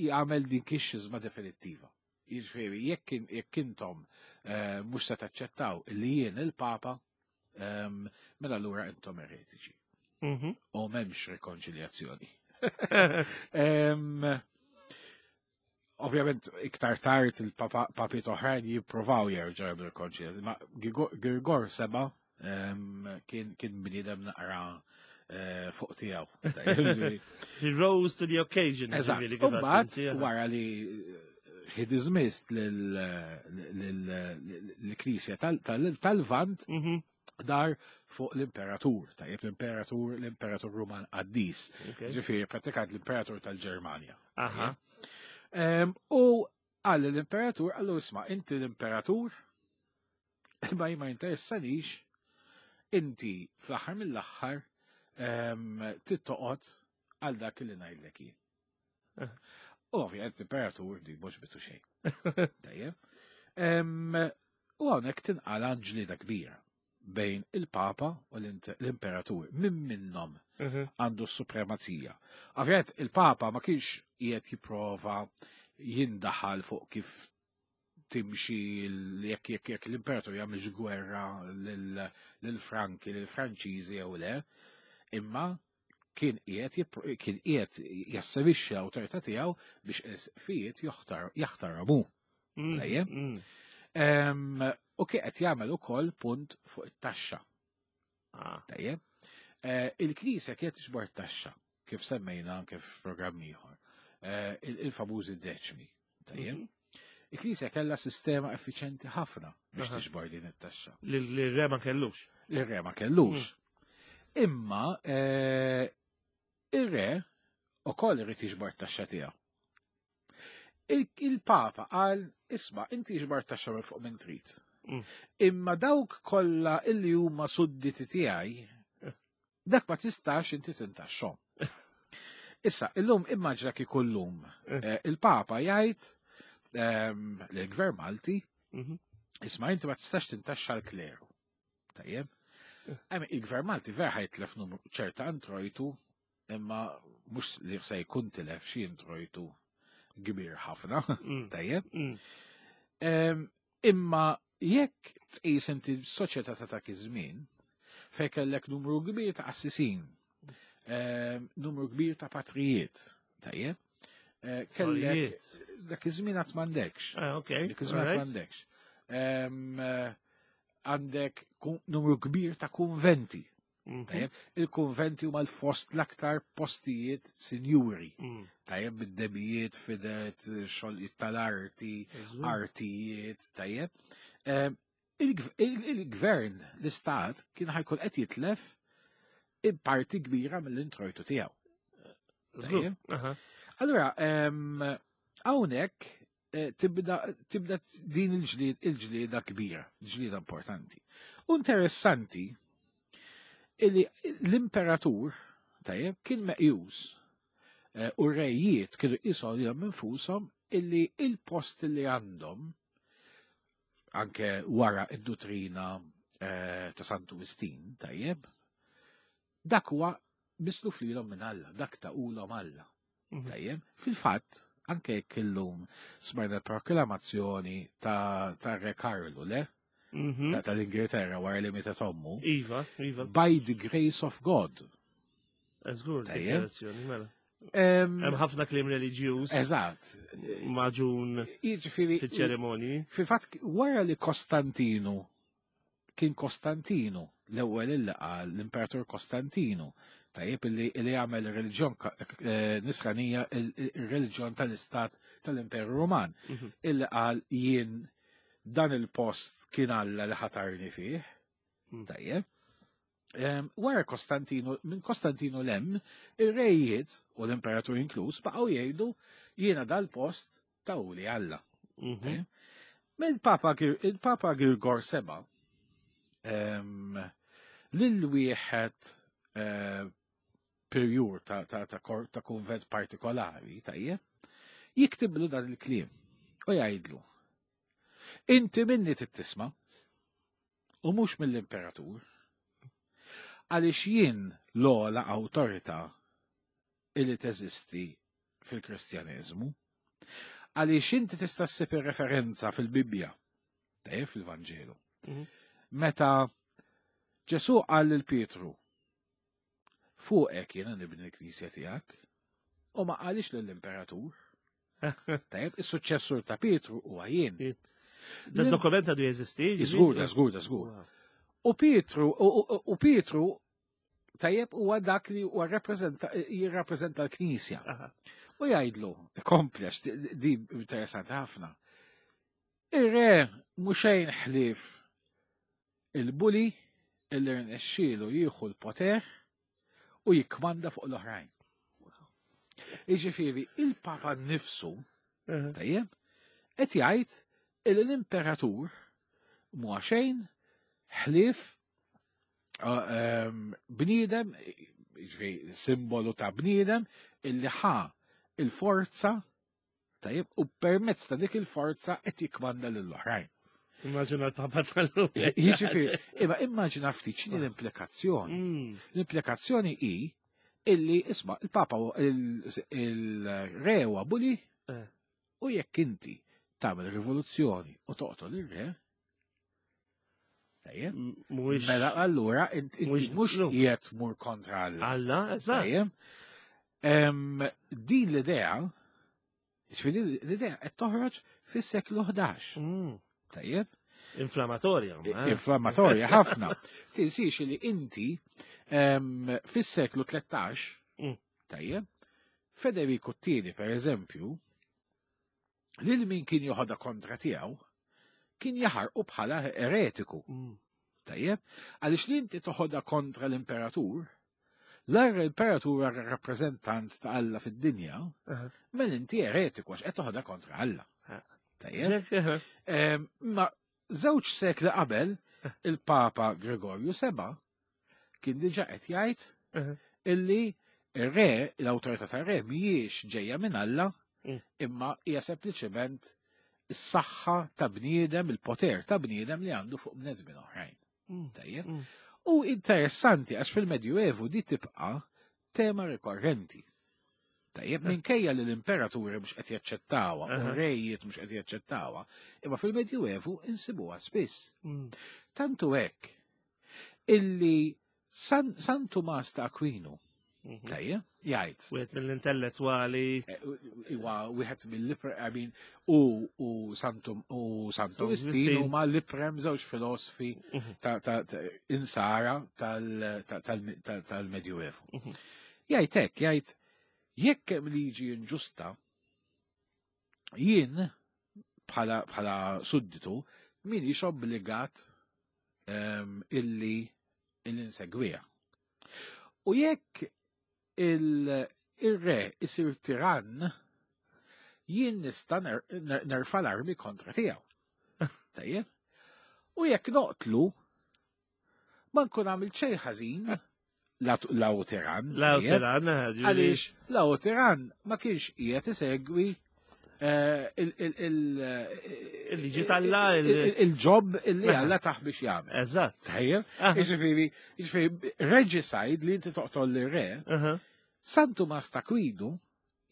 jagħmel din ix-xizma definittiva. Jiġifieri jekk in- jekk intom eh, mhux se taċċettaw li jien il-Papa, ehm, mela allura intom eretiċi. Mhm. U m'hemmx rikonċiljazzjoni. Em, Ovvjament, iktar tard il-papiet oħrajn jippruvaw jerġgħu jagħmlu rikonċiljazzjoni. Ma Grigor- Grigor seba em, kien kien bniedem naqra eh, fuq tiegħu. Tajjeb, He rose to the occasion. Eżatt. ġifieri U kif mbagħad għedt inti, wara li he dismissed lill-Knisja tal-Lvant Mhm. dar fuq l-imperatur, tajjeb l-imperatur, l-imperatur Ruman Qaddis. Okay. Ġifieri, prattikament l-imperatur tal-Ġermanja. Aha. Em, U għal l-imperatur, għallu isma, inti l-imperatur, ma ma jinteressanix, inti fl-aħħar mill-aħħar em, tittoqgħod għal dak li ngħidlek jien. Eh. U ovvjament l-imperatur di mhux bitu xejn. Tajjeb. Em, U hawnhekk tinqala ġlieda kbira bejn il-Papa u l-Imperatur. Min minnhom Mhm. għandu s-supremazija? Ovvjament il-Papa ma kienx qiegħed jipprova jindaħal fuq kif timxi l- jekk jekk jekk l-Imperatur jagħmilx gwerra lil- lil-Franki, lil-Franċiżi jew le, imma kien qiegħed jippro- kien qiegħed jasserixxi l-awtorità tiegħu biex isqfijiet joħtar jaħtarmu. Mm, Tajjeb. mm. Em, U kien qed jagħmel ukoll punt fuq it-taxxa. Ah, Tajjeb. Eh, Il-Knisja kienet tiġbor taxxa, kif semmejna anke f'programm ieħor. Eh, il- Il-famużi deċmi. Tajjeb. mhm. Il-Knisja kellha sistema effiċenti ħafna biex Aha. tiġbor din it-taxxa. Li l-re ma kellux. Il-re ma kellux. Imma eh, il-re ukoll irid jiġbor taxxa tiegħu. Il- Il-Papa qal, isma' inti jiġbor taxxa minn fuq minn trid. Mm. Imma dawk kollha illi huma sudditi tiegħi, dak ma tistax inti tintaxxhom. Issa, illum immaġina kieku llum Eh. eh, il-Papa jgħid ehm, lill-Gvern Malti, Mhm. isma' inti ma tistax tintaxxa l-kleru. Tajjeb? Eh. Għem, il-Gvern Malti vera ħa jitlef numru ċerta introjtu, imma mhux li se jkun tilef xi introjtu kbir ħafna. Mm, Tajjeb? mm. Em, Imma jekk tqis inti soċjetà ta' dak iż-żmien, fejn kellek numru kbir ta' qassisin, em, numru kbir ta' patrijiet, tajjeb? Eh, Kellek Sorijiet. dak iż-żmien qatt m'għandekx. Ah, ok. Dak iż-żmien qatt Alright. m'għandekx. Em, eh, Għandek ku- numru kbir ta' kunventi. Mhm. Tajjeb, il-kunventi huma l-fost l-aktar postijiet sinjuri. Mm. Tajjeb, bid-debijiet, fidet, xogħlijiet tal-arti, Żgur. artijiet, tajjeb. Em, il-gv- il- Il-gvern, l-istat, kien ħa jkun qed jitlef parti kbira mill-introjtu tiegħu. Żgur. Tajjeb. Aha. Allura, em, hawnhekk eh, tibda tibda din il-ġlied il-ġlieda kbira, ġlieda importanti. U interessanti illi l-imperatur tajjeb kien meqjus eh, u rejiet kienu jqishom lilhom infushom illi il-post li għandhom anke wara id-dottrina eh, ta' Santu Wistin, tajjeb, dak huwa misluf lilhom minn Alla, dak tahulhom Alla. Mhm. Tajjeb, fil-fatt, anke jekk illum smajna proklamazzjoni ta' ta' Re Karlu, le? Mhm. Ta' tal-Ingilterra wara li mietet ommu. Iva, iva. By the grace of God. Żgur, Tajjeb. dikjarazzjoni, mela. Em, Hemm ħafna kliem reliġjuż Eżatt. maġun Jiġifieri, fiċ-ċerimonji. fil-fatt, wara li Kostantinu, kien Kostantinu, l-ewwel illi qal l-Imperatur Kostantinu, tajjeb illi illi għamel reliġjon ka- eh, nisranija il-reliġjon tal-Istat tal-Imperu Roman, Mhm. illi qal jien dan il-post kien Alla li ħatarni fih. Mm. Tajjeb. Em, Wara Kostantinu, minn Kostantinu 'l hemm, ir-rejiet u l-imperatur inkluż baqgħu jgħidu jiena dal-post tahuli Alla. Mhm. Tajjeb. Mill-Papa Gir- il-Papa Girgor Seba em, lil wieħed eh, perjur ta' ta' ta' kor- ta' kunvent partikolari, tajjeb, jiktiblu dan il-kliem u jgħidlu. Inti minni tittisma u mhux mill-imperatur. Għaliex jien l-ogħla awtorità illi teżisti fil-Kristjaneżmu. Għaliex inti tista' ssib referenza fil-Bibbja, tajjeb fil-Vanġelu. Mhm. Meta Ġesu qal lil Pietru, fuqek jiena nibni l-knisja tiegħek, u ma qalix lill-imperatur. Tajjeb, is-suċċessur ta' Pietru huwa jien. Da dokument għadu jeżisti? Żgur, da żgur, da żgur. U Pietru, u- u u Pietru, tajjeb huwa dak li huwa rappreżenta jirrappreżenta l-Knisja. Aha. U jgħidlu, komplex, di di interessanti ħafna. Ir-re mhux xejn ħlief il-bully illi rnexxielu jieħu l-poter u jikkmanda fuq l-oħrajn. Jiġifieri, il-Papa nnifsu, Aha. tajjeb, qed jgħid illi l-imperatur mhuwa xejn ħlief uh, em, bniedem, jiġifieri simbolu ta' bniedem illi ħa il-forza tajjeb u permezz ta' dik il-forza qed jikkmanda lill-oħrajn. Immaġina l-Papa tal-lum. Jiġifieri, imma immaġina ftit x'inhi l-implikazzjoni. Mm. L-implikazzjoni hi illi isma' il-Papa hu- il- il-re huwa bully Eh. u jekk inti tagħmel rivoluzzjoni u toqtol ir-re, tajjeb, Mhuwiex mela allura int- inti Mhux- mhux no. qiegħed tmur kontra Alla. Alla, eżatt. Tajjeb. Em, Din l-idea, ġifieri l-idea qed toħroġ fis-seklu ħdax. Mm. Tajjeb? Inflammatorja. ma, eh. Inflammatorja ħafna. Tinsiex li inti em, fis-seklu tlettax, Mm. tajjeb, Federico t-tieni per eżempju, lil min kien joħodha kontra tiegħu, kien jaħarqu bħala eretiku. Mm. Tajjeb, għaliex li inti toħodha kontra l-imperatur, l-imperatur huwa rappreżentant ta' Alla fid-dinja, Aha. mela inti eretiku għax qed toħodha kontra Alla. Ah. Tajjeb, Ġek, eh, Em, Ma żewġ sekli qabel il-Papa Gregorju seba kien diġà qed jgħid eh. illi ir-re, l-awtorità tar-re mhijiex ġejja minn Alla, Mm. imma hija sempliċement is-saħħa ta' bniedem, il-poter ta' bniedem li għandu fuq bnedmin oħrajn. Mm. Tajjeb? Mm. U interessanti għax fil-Medjuevu di tibqa' tema rikorrenti. Tajjeb, minkejja li l-imperaturi mhux qed jaċċettawha u Aha. rejiet mhux qed jaċċettawha, imma fil-Medjuevu insibuha spiss. Mm. Tantu hekk illi San, San Tumas ta' Aquino, Mhm. tajjeb, jgħid, Wieħed mill-intellettwali. eh, huwa wieħed mill-iprem, I mean, u u Santu u Santu San Wistin Wistin. huma l-iprem żewġ filosofi Mhm. ta' ta' ta' insara tal- ta- tal- tal- tal-Medjuevu. Mhm. Jgħid hekk, jgħid jekk hemm liġi inġusta, jien bħala bħala sudditu minix obbligat em, illi illi nsegwiha. U jekk il- il-re isir tirann, jien nista' ner- ner- nerfa' l-armi kontra tiegħu. Tajjeb? U jekk noqtlu, ma nkun għamil xejn ħażin la tirann. La tajjeb? tirann, eh, ġifieri. Għaliex la tirann ma kienx qiegħed isegwi eh, il- il- il- Il-liġi t'Alla, il- il- il-job illi Alla taħ biex jagħmel. Eżatt. Tajjeb? Aha. Jiġifieri, jiġifieri regicide li inti toqtol lir-re, Aha. San Tumas ta' Aquino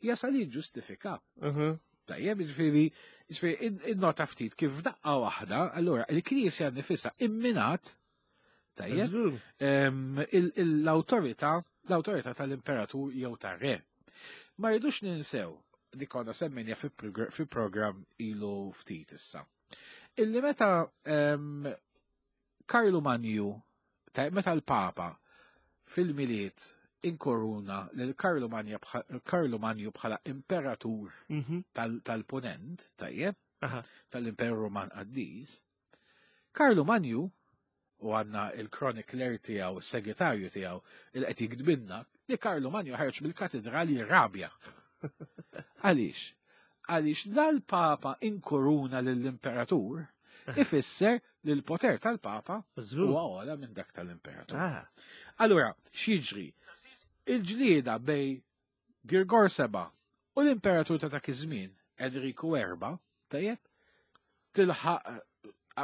jasal jiġġustifika. Aha. Tajjeb, jiġifieri, jiġifieri in- innota ftit kif f'daqqa waħda, allura il-Knisja nifisha imminat, tajjeb, Żgur. em, il- il- l-awtorità l-awtorità tal-imperatur jew tar-re. Ma rridux ninsew li konna semmejna fi progr- fi program ilu ftit issa. Illi meta em, Karlu Manju, ta' meta l-Papa fil-Miliet inkoruna lil Karlu Manja bħa- Karlu Manju bħala imperatur Mhm. tal- tal-Ponent, tajjeb, Aha. tal-Imperu Roman Qaddis, Karlu Manju, u għanna il-chronicler tiegħu, il-segretarju tiegħu, il qed jiktbinna li Karlu Manju ħareġ mill-katedrali rabja. Għaliex? Għaliex l-Papa inkoruna lill-Imperatur ifisser li l-poter tal-Papa Żgur. huwa ogħla minn dak tal-Imperatur. Ah. Allura, x'jiġri? Il-ġlieda bej Girgor Seba u l-Imperatur ta' dak iż-żmien, Enriku Erba, tajjeb, tilħaq eh,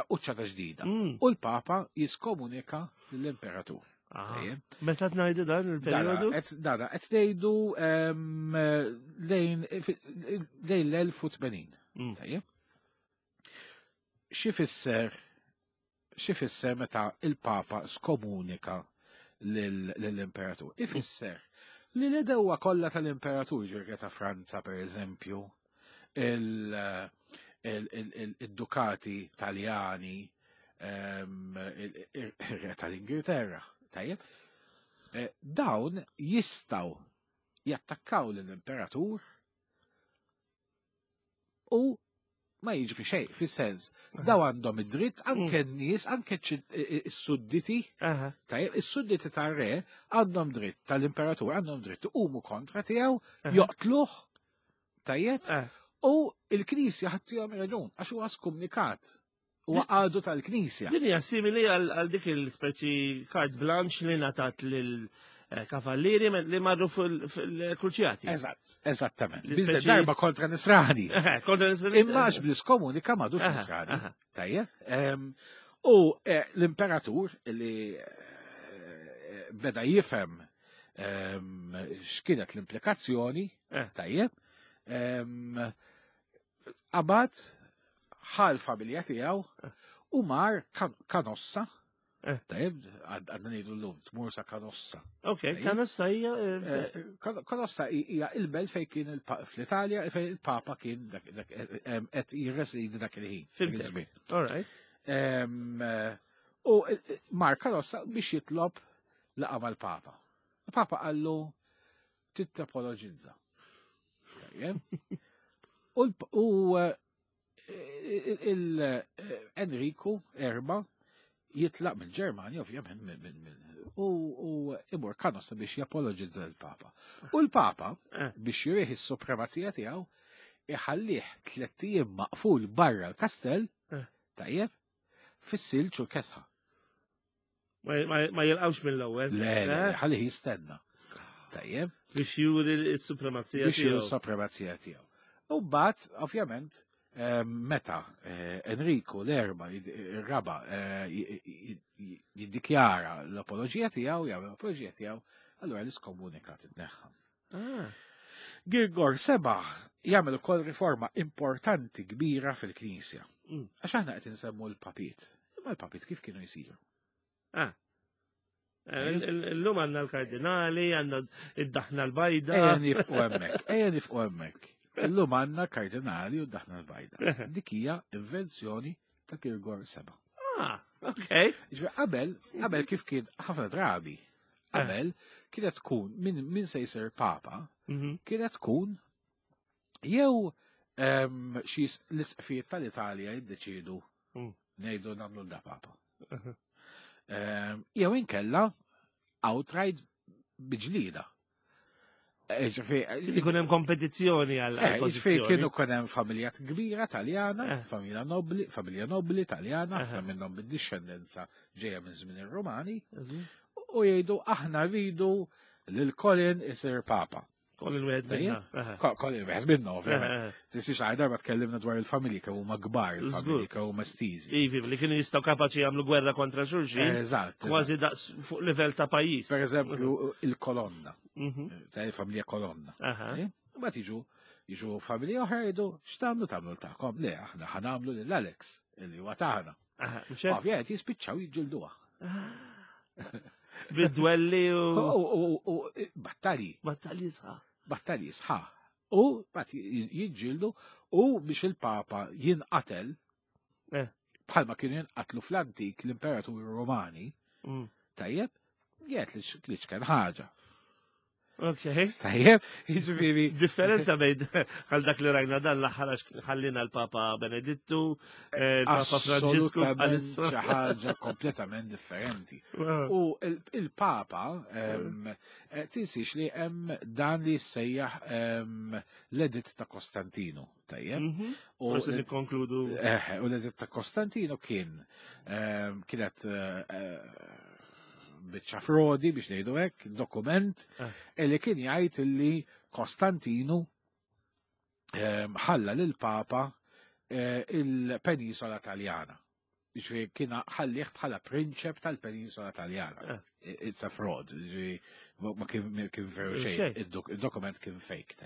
quċċata ġdida. Mm. U l-Papa jiskomunika lill-Imperatur. Ah. Tajjeb. Meta tngħidu dan Dana, il-perjodu? qed dana, qed ngħidu em, lejn lejn l-elf u tmenin. Mm. Tajjeb. Xi fisser xi fisser meta il-Papa skomunika lill- lill-Imperatur? Ifisser li l-edewa kollha tal-Imperatur, ġirga ta' Franza per eżempju, il- il- il- il- il-dukati Taljani, em, il- il- il-re tal-Ingilterra, tajjeb, eh, dawn jistaw jattakkaw lill-Imperatur u ma jiġri xejn, fis-sens, daw għandhom id-dritt anke n-nies, anke s-sudditi, Aha. tajjeb, is-sudditi tar-re għandhom dritt tal-imperatur għandhom dritt iqumu kontra tiegħu, Aha. joqtluh, tajjeb, Ah. u il-Knisja ħattihom raġun għax huwa skomunikat. Huwa għadu tal-Knisja. Din hija simili għal għal dik il-speċi carte blanche li ngħatat lil eh, kavallieri li marru fil-kruċjati. Eżatt, eżattament. Biss darba kontra nisrani. Kontra nisrani. Imma għax bl-iskomunika m'għadux nisrani. Tajjeb. U eh, l-imperatur li eh, beda jifhem x'kienet l-implikazzjoni, tajjeb, qabad ħa l-familja tiegħu u mar Kanossa. Tajjeb, għadna ngħidu llum, tmur sa Kanossa. Ok, Kanossa hija. Kanossa hija il-belt fejn kien fl-Italja fejn il-Papa kien qed jirresidi dak il-ħin. All right. U mar Kanossa biex jitlob laqgħa mal-Papa. Il-Papa qallu titapologizza. U il-Enriku erba jitlaq mill-Ġermanja, ovvjament, u imur Kanossa biex japologizza l-Papa. U l-Papa, biex jurih is-supremazija tiegħu, iħallih tlett ijiem maqful barra l-kastell, tajjeb, fis-silġ u l-kesħa. Ma jilqawx mill-ewwel. Le, le, ħallih jistenna. Tajjeb. Biex juri s-supremazija tiegħu. Biex juri s-supremazija tiegħu. U mbagħad, ovvjament, meta Enrico l-erba, il-raba, jiddikjara l-apologija tiegħu, jagħmel l-apologija tiegħu, allura l-iskomunika titneħħa. Girgor seba jagħmel ukoll riforma importanti kbira fil-Knisja. Għax aħna qed insemmu l-papiet. Imma l-papiet kif kienu jsiru? Ah. Illum għandna l-kardinali, għandna id-daħna l-bajda. Ejja nifqu hemmhekk, ejja nifqu hemmhekk. Illum għandna kardinali u d-daħna l-bajda. Dik hija invenzjoni ta' Girgor seba. Ah, ok. Ġifieri qabel, qabel kif kien ħafna drabi, qabel kienet tkun min, min se jsir papa, kienet tkun jew xi l-isqfijiet tal-Italja jiddeċidu ngħidu nagħmlu da papa. Jew inkella outright biġlida. Ikun hemm kompetizzjoni għal pożizzjoni. Kienu kun hemm familja kbira Taljana, familja nobli, familja nobli Taljana, ħafna minnhom bid-dixxendenza ġejja minn żmien ir-Rumani, u jgħidu aħna rridu lil Colin isir papa. Colin wieħed minna. Colin wieħed minna, ovvjament. Tisix għal darba tkellimna dwar il-familji kemm huma kbar, il-familji kemm huma estiżi. Ivi, li kienu jistgħu kapaċi jagħmlu gwerra kontra xulxin. Eżatt. Kważi daqs fuq livell ta' pajjiż. Per eżempju, il-Kolonna. Ta' il-familja Kolonna. Mbagħad jiġu jiġu familja oħra jgħidu x'tagħmlu tagħmlu tagħkom. Le, aħna ħa nagħmlu lil Alex illi huwa tagħna. Ovvjament jispiċċaw jiġġilduha. Bid-dwelli u battalji. Battalji sħaħ. Battalji sħaħ. U bat jiġġieldu u biex il-Papa jinqatel bħalma kienu jinqatlu fl-antik l-imperaturi Romani, tajjeb, jgħid li x'kien ħaġa. Ok. Tajjeb, jiġifieri. Differenza bejn għal dak li rajna dan l-aħħar għax ħallina l-Papa Benedittu, il-Papa Franġisku. Assolutament xi ħaġa kompletament differenti. U il-Papa tinsiex li hemm dan li jissejjaħ l-Editt ta' Kostantinu, tajjeb. U nikkonkludu. U l-Editt ta' Kostantinu kien kienet biċċa frodi biex ngħidu hekk, dokument li kien jgħid li Kostantinu ħalla lil Papa il-Penisola Taljana. Ġifieri kien ħallih bħala prinċep tal-Penisola Taljana. It's a fraud. Ma kien veru xejn, id-dokument kien fake.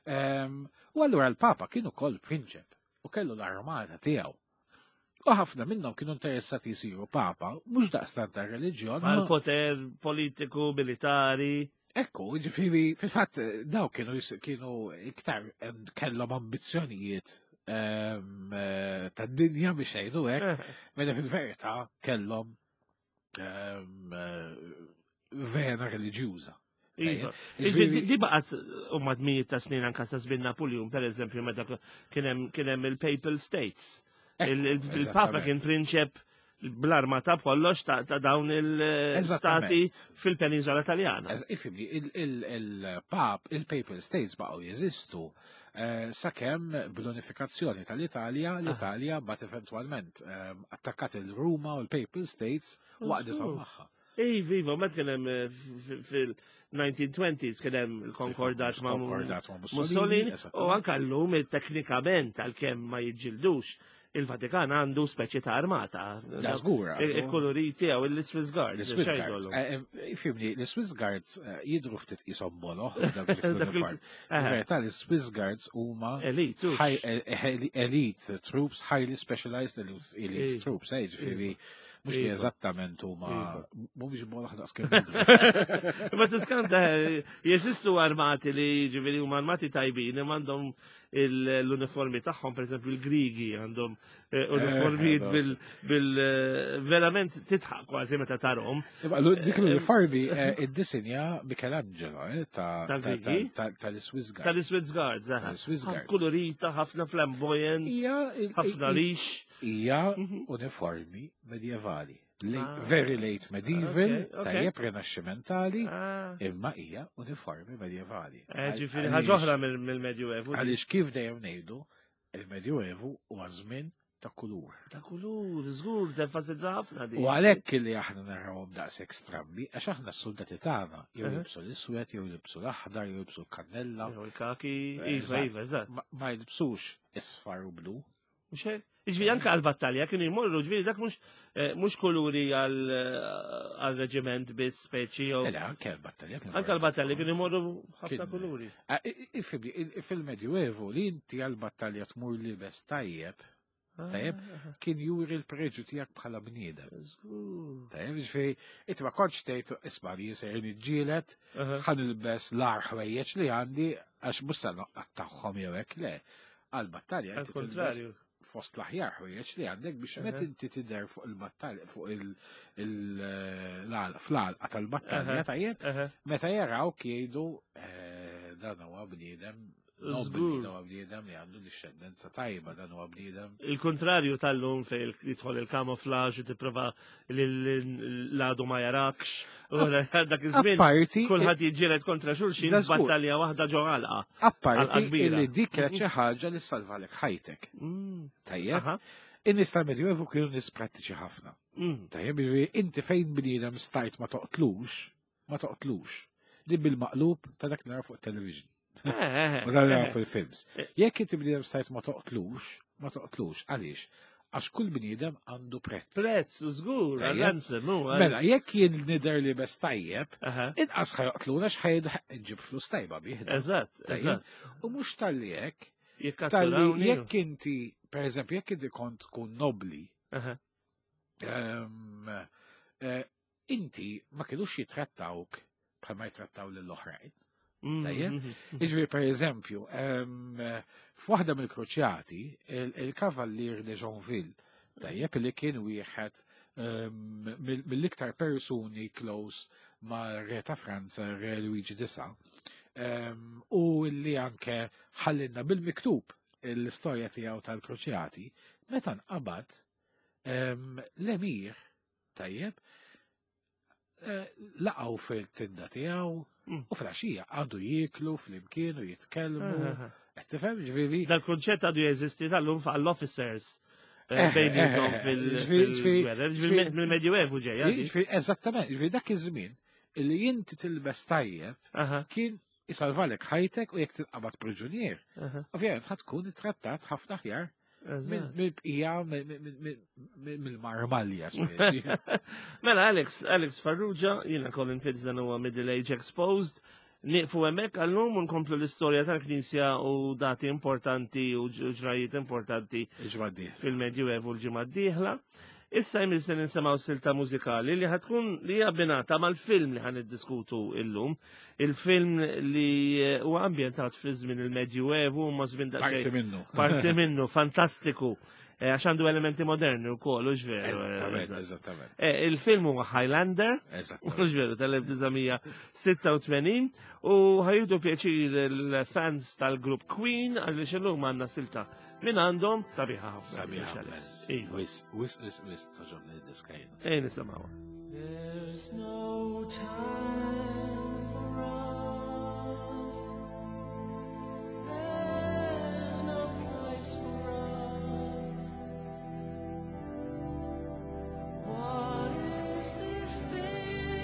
U allura l-Papa kien ukoll prinċep u kellu l-armata tiegħu. U ħafna minnhom kienu interessati jsiru papa, mhux daqstant tar-reliġjon. Mal poter politiku, militari. Ekku, ġifieri, fil-fatt daw kienu kienu iktar kellhom ambizzjonijiet tad-dinja biex jgħidu hekk, meta fil-verità kellhom vena reliġjuża. Di baqgħet u madmijiet ta' snin anka sa żmien Napoleon, per eżempju, meta kien hemm il-Papal States. Il-Papa kien prinċep bl-arma ta' kollox ta' dawn il-stati fil-Penisola Taljana. Ifimni, il-Pap, il-Papal States baqgħu jeżistu sakemm bl-unifikazzjoni tal-Italja, l-Italja bat eventwalment attakkat il-Ruma u l-Papal States waqdithom magħha. Iva, iva, ma kien hemm eh, fil-nineteen twenties kien hemm il-konkordat ma' Konkordat ma' Mussolini, u anka llum teknikament, għalkemm ma jiġġildux, il-Vatikan għandu speċi ta' armata. Ja, żgur. Il-koloriti għaw il-Swiss Guards. L-Swiss Guards. Eh, eh, Ifhimni, l-Swiss Guards eh, jidru ftit qishom boloh dak l-uniform. Verità, l-Swiss Guards huma Elite. Hux. high- eh, eh, elite troops, highly specialized elite elite Iva. troops, eh, ġifieri, mhux li Iva. eżattament huma Iva. mhumiex boloh daqs kemm jidru. Ma tiskanta, jeżistu armati li ġifieri huma armati tajbin, imma għandhom l-uniformi tagħhom, per esempio il-Grigi għandhom eh, uniformijiet Eh, bil, bil eh, verament titħaq kważi meta tarhom. Imma l- dik l-uniformi eh, iddisinja Michelangelo eh, ta' ta- Tal-Grigi? ta- tal-Swiss Guards. Tal-Swiss Guards, aha. Tal-Swiss Guards. Kolorita, ħafna flamboyant, Hija il- ħafna il- rix. Hija Mhm. uniformi medjevali. Late, Ah. very late medieval, Okay, okay. tajjeb renaxximentali, Ah. imma hija uniformi medjevali. Eh, Ġifieri Għaliex- ħaġa oħra mill-Medjuevu. Għaliex kif dejjem ngħidu, il-Medjuevu huwa żmien ta' kulur. Ta' kulur, żgur, tenfasizza ħafna di. U għalhekk li aħna narawhom daqshekk strambi, għax aħna s-soldati tagħna jew Uh-huh. jilbsu l-iswed, jew jilbsu l-aħdar, jew jilbsu l-kannella, Jew il-kaki, Eh, iva, eżatt. iva, eżatt. ma ma jilbsux isfar u blu. Mhux hekk? Ġifieri anke għal-battalja kienu jmorru, ġifieri dak mhux eh, mhux kuluri għal-reġiment biss speċi jew Ela, anke l-battalja kienu anke għal-battalja kienu jmorru ħafna Kien- kuluri. Ah, i- i- Ifhimni, il- fil-Medjuevu li inti għal-battalja tmur libes tajjeb, Tajjeb. Ah, kien juri l-preġu tiegħek bħala bniedem. Żgur. Tajjeb, ġifieri, inti ma kontx tgħid isma' li jisir niġġielet, Aha. ħa nilbes l-agħar ħwejjeġ li għandi għax mhux se noqgħod jew hekk le. Għal-battalja inti tilbes Għal-kontrarju. fost l-aħjar ħwejjeġ li għandek biex Aha. meta inti tidher fuq il-battalja fuq il- il- l- fl-għalqa tal-battalja Aha. tajjeb, Aha. meta jaraw jgħidu eh, dan huwa bniedem nobli, Żgur. dan huwa bniedem li għandu dixxendenza tajba, dan huwa bniedem Il-kontrarju tal-lum fej jidħol il-camouflage u tipprova li l-għadu ma jarakx. U dak iż-żmien Apparti, kulħadd jiġġieled kontra xulxin Da żgur. battalja waħda ġo għalqa. apparti għalqa kbira. illi dik kienet xi ħaġa li salvalek ħajtek. Mm. Tajjeb, Aha. in-nies tal-Medjuevu kienu nies prattiċi ħafna. Mm. Tajjeb, jiġifieri inti fejn bniedem stajt ma toqtlux, ma toqtlux. Din bil-maqlub ta' dak nara fuq television. Eh, eh, U dak nara eh. fil-films. Eh. Jekk inti bniedem stajt ma toqtlux, ma toqtlux. Għaliex? Għax kull bniedem għandu prezz. Prezz, żgur, Tajjeb. għal-ransom, u għal- Mela, jekk jien nidher li bes tajjeb, Aha. inqas ħa joqtluna x'ħajdu nġib flus tajba bih. Eżatt, Tajjeb. eżatt. U mhux talli hekk, talli Jikkatturawni. jekk inti, per eżempju, jekk inti kont tkun nobli, Aha. ehm, eh, inti ma kienux jitrattawk bħalma jitrattaw lill-oħrajn. Mm, Tajjeb. mm, mm. Iġifieri, per eżempju, ehm, f'waħda mill-kruċjati, il- il-kavallier de Jonville, tajjeb li kien wieħed ehm, mill- mill-iktar persuni close ma' re ta' Franza, re Luigi disa, ehm, u li anke ħallinna bil-miktub l-istorja tiegħu tal-kruċjati, meta nqabad ehm, l-emir, tajjeb, eh, laqgħu fil-tinda tiegħu Mm. u fil-għaxija għadu jieklu flimkien u jitkellmu. Aha. Qed tifhem ġifieri? Dal-kunċett għadu jeżisti tal-lum għall-officers. Eh, eh, Bejnietom eh, ġifieri- ġifieri- fil-gwerra. Ġifieri mill-Medjuevu ġejja. di. Ġifieri eżattament, ġifieri dak iż-żmien illi inti tilbes tajjeb Aha, kien isalvalek ħajtek u jekk tinqabad priġunier. aha. Ovvjament ħa tkun ittrattat ħafna aħjar Eżatt. mill-bqija mill-marmalja speċi. Mela, Alex, Alex Farrugia, jiena Colin Fitzdan huwa Middle Age Exposed. Nieqfu hemmhekk għallum u nkomplu l-istorja tal-Knisja u dati importanti u ġrajiet importanti Iġwaddi. fil-Medjuevu l-ġimgħa d-dieħla. Issa jmiss se nisimgħu silta mużikali li ħa tkun li hija abbinata mal-film li ħa niddiskutu illum. Il-film li eh, huwa ambjentat fi żmien il-Medjuevu ma żmien Parti daqsxejn minnu. parti minnu fantastiku. Eh, Għax għandu elementi moderni wkoll, u veru. Eżattament, eżatt. eżattament. Eh, Il-film huwa Highlander, Eżattament. mhux veru, tal-elf disa' mija sitta u tmenin, u ħa jieħdu pjaċir il-fans tal-grupp Queen għaliex illum għandna silta minn għandhom sabiħa ħafna. Sabiħa. Iva. Wisq, wisq, wisq, wisq, togħġobni d-diska jiena. Ejja nisimgħuha. There's no time for us. There's no place for us. What is this thing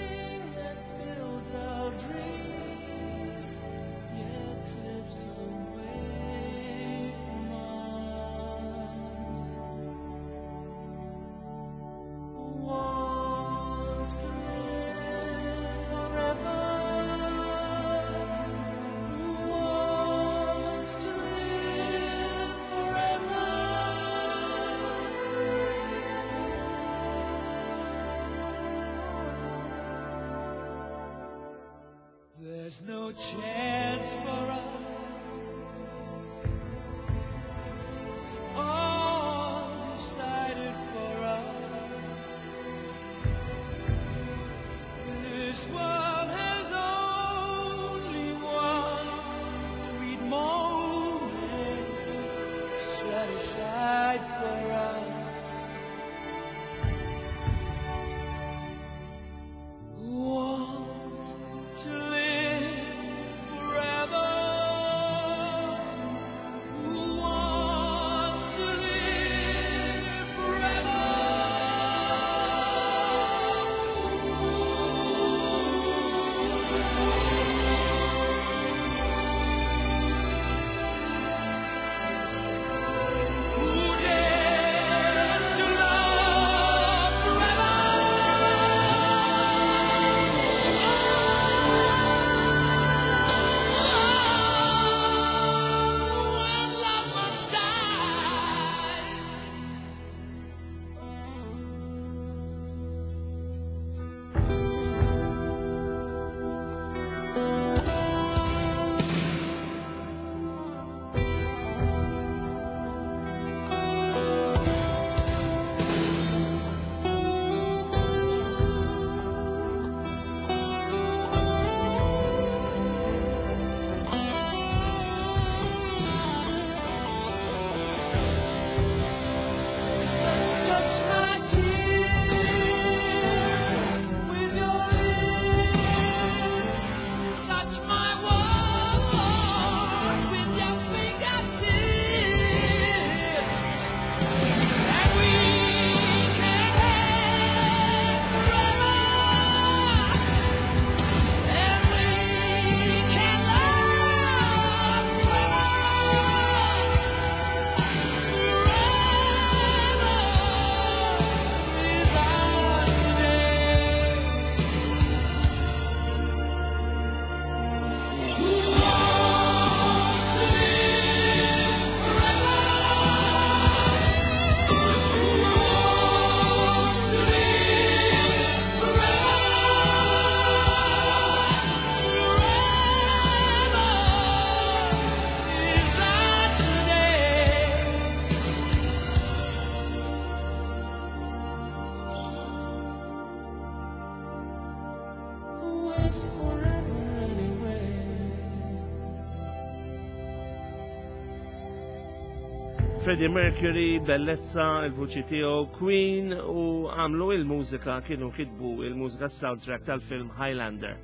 There's no chance for us. It's all decided for us. This world has only one sweet moment set aside for us. Who wants to live forever? Who wants to live forever? Who dares to love forever? Oh, and love must die. Touch my tears with your lips. Touch my world with your fingertips. And we can have forever. And we can love forever. Forever is our today. Who wants to live forever? Who wants to live forever? Forever is our today. What's forever anyway? Freddie Mercury, bellezza, il-vuċi tiegħu, Queen u għamlu il-mużika kienu kitbu il-mużika soundtrack tal-film Highlander.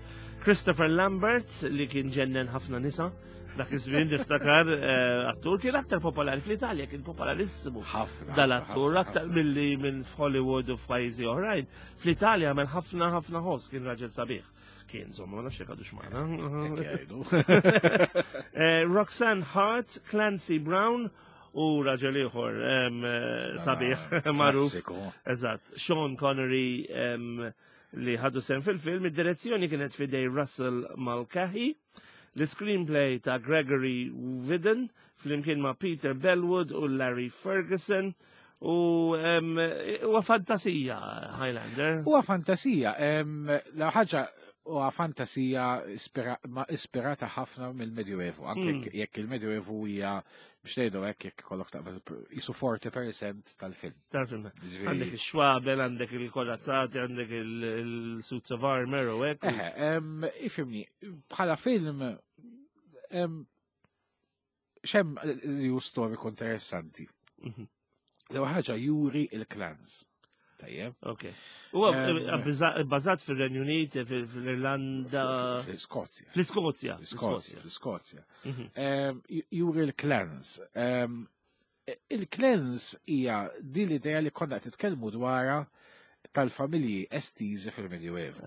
Christopher Lambert li kien ġennen ħafna nisa, dak iż-żmien niftakar eh, attur kien aktar popolari fl-Italja, kien popolarissimu. Ħafna. Dal-attur ħafna, aktar ħafna. milli minn f'Hollywood u f'pajjiżi oħrajn. Fl-Italja għamel ħafna ħafna ħoss kien raġel sabiħ. Kien, insomma, ma nafx jekk għadux magħna. Hekk jgħidu. Eh, Roxanne Hart, Clancy Brown u raġel ieħor em, eh, sabiħ magħruf. Klassiku. Eżatt, Sean Connery em, li ħadu sem fil-film, id-direzzjoni kienet fidej Russell Mulcahy, l-screenplay ta' Gregory Vidden, flimkien ma' Peter Bellwood u Larry Ferguson, u em, huwa fantasija Highlander. Huwa fantasija. em, La ħaġa huwa fantasija ispira- ma ispirata ħafna mill-Medjuevu. Anke Mm. jekk- jekk il-Medjuevu hija biex ngħidu hekk jekk ikollok taqbel jisu forty percent tal-film. Tal-film. Ġifieri- Għandek il-xwabel, għandek il-korazzati, għandek il-suits of armor u hekk. Eħe, em, ifhimni, bħala film em, xem li hu storiku interessanti. Mhm. L-ewwel ħaġa juri il-clans. Tajjeb. Ok. Huwa Em, bbażat fir-Renju Unit, fil- fil-Irlanda, Fl-Iskozja. fl-Iskozja. Fl-Iskozja, fl-Iskozja. Mhm. Em, ju- Juri l-clans. Em, Il-clans hija din l-idea li konna qed titkellmu dwarha tal-familji estiżi fil-Medjuevu.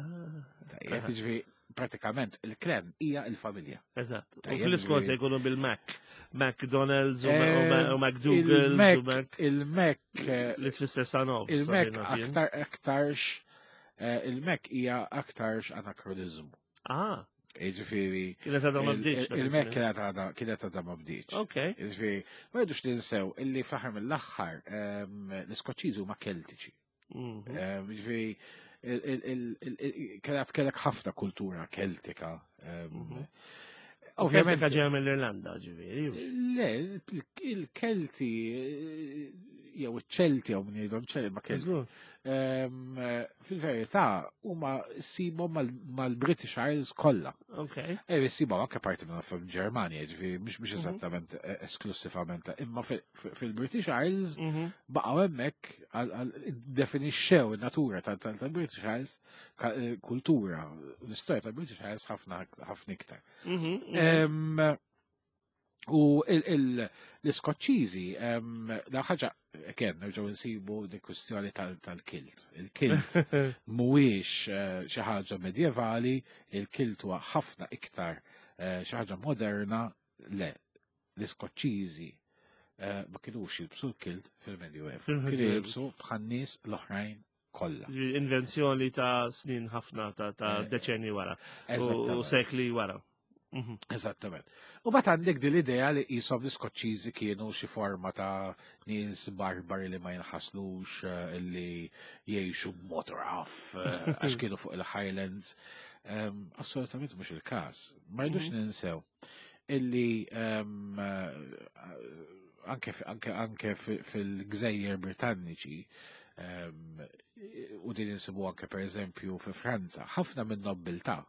Tajjeb, Aha. jiġifieri pratikament il-klan hija il-familja. Eżatt. U Tajjeb, fl-Iskozja ġifieri- jkunu bil-Mac. McDonald's u Eh, Ma- u McDougal's u Il-Mac, Mac. il-Mac, eh, Li tfisser Sanov. il-Mac sabina fien. aktar aktarx, eh, il-Mac hija aktarx anakronizmu. Ah, Jiġifieri kienet għadha ma il- bdietx. dak il-Mac iż-żmien. kienet għadha kienet għadha ma bdietx. Ok. Jiġifieri, ma rridux ninsew illi fl-aħħar mill-aħħar ehm, l-Iskoċċiżi huma Keltiċi. Mhm. Ehm, Jiġifieri il- il- il- il- il- kienet kellek ħafna kultura Keltika Em, Mhm. Ovvjament, Ovvjament ġew mill-Irlanda, ġifieri. le, il- il-Kelti, eh, jew iċ-Ċelti, jew min jgħidhom ċelti, ma Kelti. Żgur. Em, eh, Fil-verità, huma ssibhom mal- mal-British Isles kollha. Ok. E ssibhom anke parti minn fil-Ġermanja, ġifieri mhux mhux Mhm. eżattament eh, esklusivament, imma fil- fil-British Isles Mhm. baqgħu hemmhekk għal- għal- definixxew in-natura tal- tal- tal-British Isles, ka- eh, kultura, l-istorja tal-British Isles ħafna ħafna iktar. Mhm. Mhm. Em, U il- il- l-Iskoċċiżi, em, la ħaġa, again, nerġgħu nsibu di kwistjoni tal- tal-kilt. Il-kilt mhuwiex eh, xi ħaġa medjevali, il-kilt huwa ħafna iktar eh, xi ħaġa moderna, le, l-Iskoċċiżi eh, ma kinux jilbsu l-kilt fil-Medjuevu. Kienu Fil-Medjuevu. jilbsu bħan-nies l-oħrajn kollha. Invenzjoni ta' snin ħafna ta' ta' Eh, deċenni wara u Eżattament. sekli wara. Mhm. Eżattament. U bat għandek din l-idea li jisom l-Iskoċċiżi kienu xi forma ta' nies barbari li ma jinħaslux, eh, li jgħixu b'mod rough, eh, għax kienu fuq il-Highlands. Em, Assolutament mhux il-każ. Ma rridux ninsew illi em, eh, anke fi- anke anke fi- fil-Gżejjer Britanniċi em, u din insibu anke per eżempju fi Franza, ħafna minn nobbiltà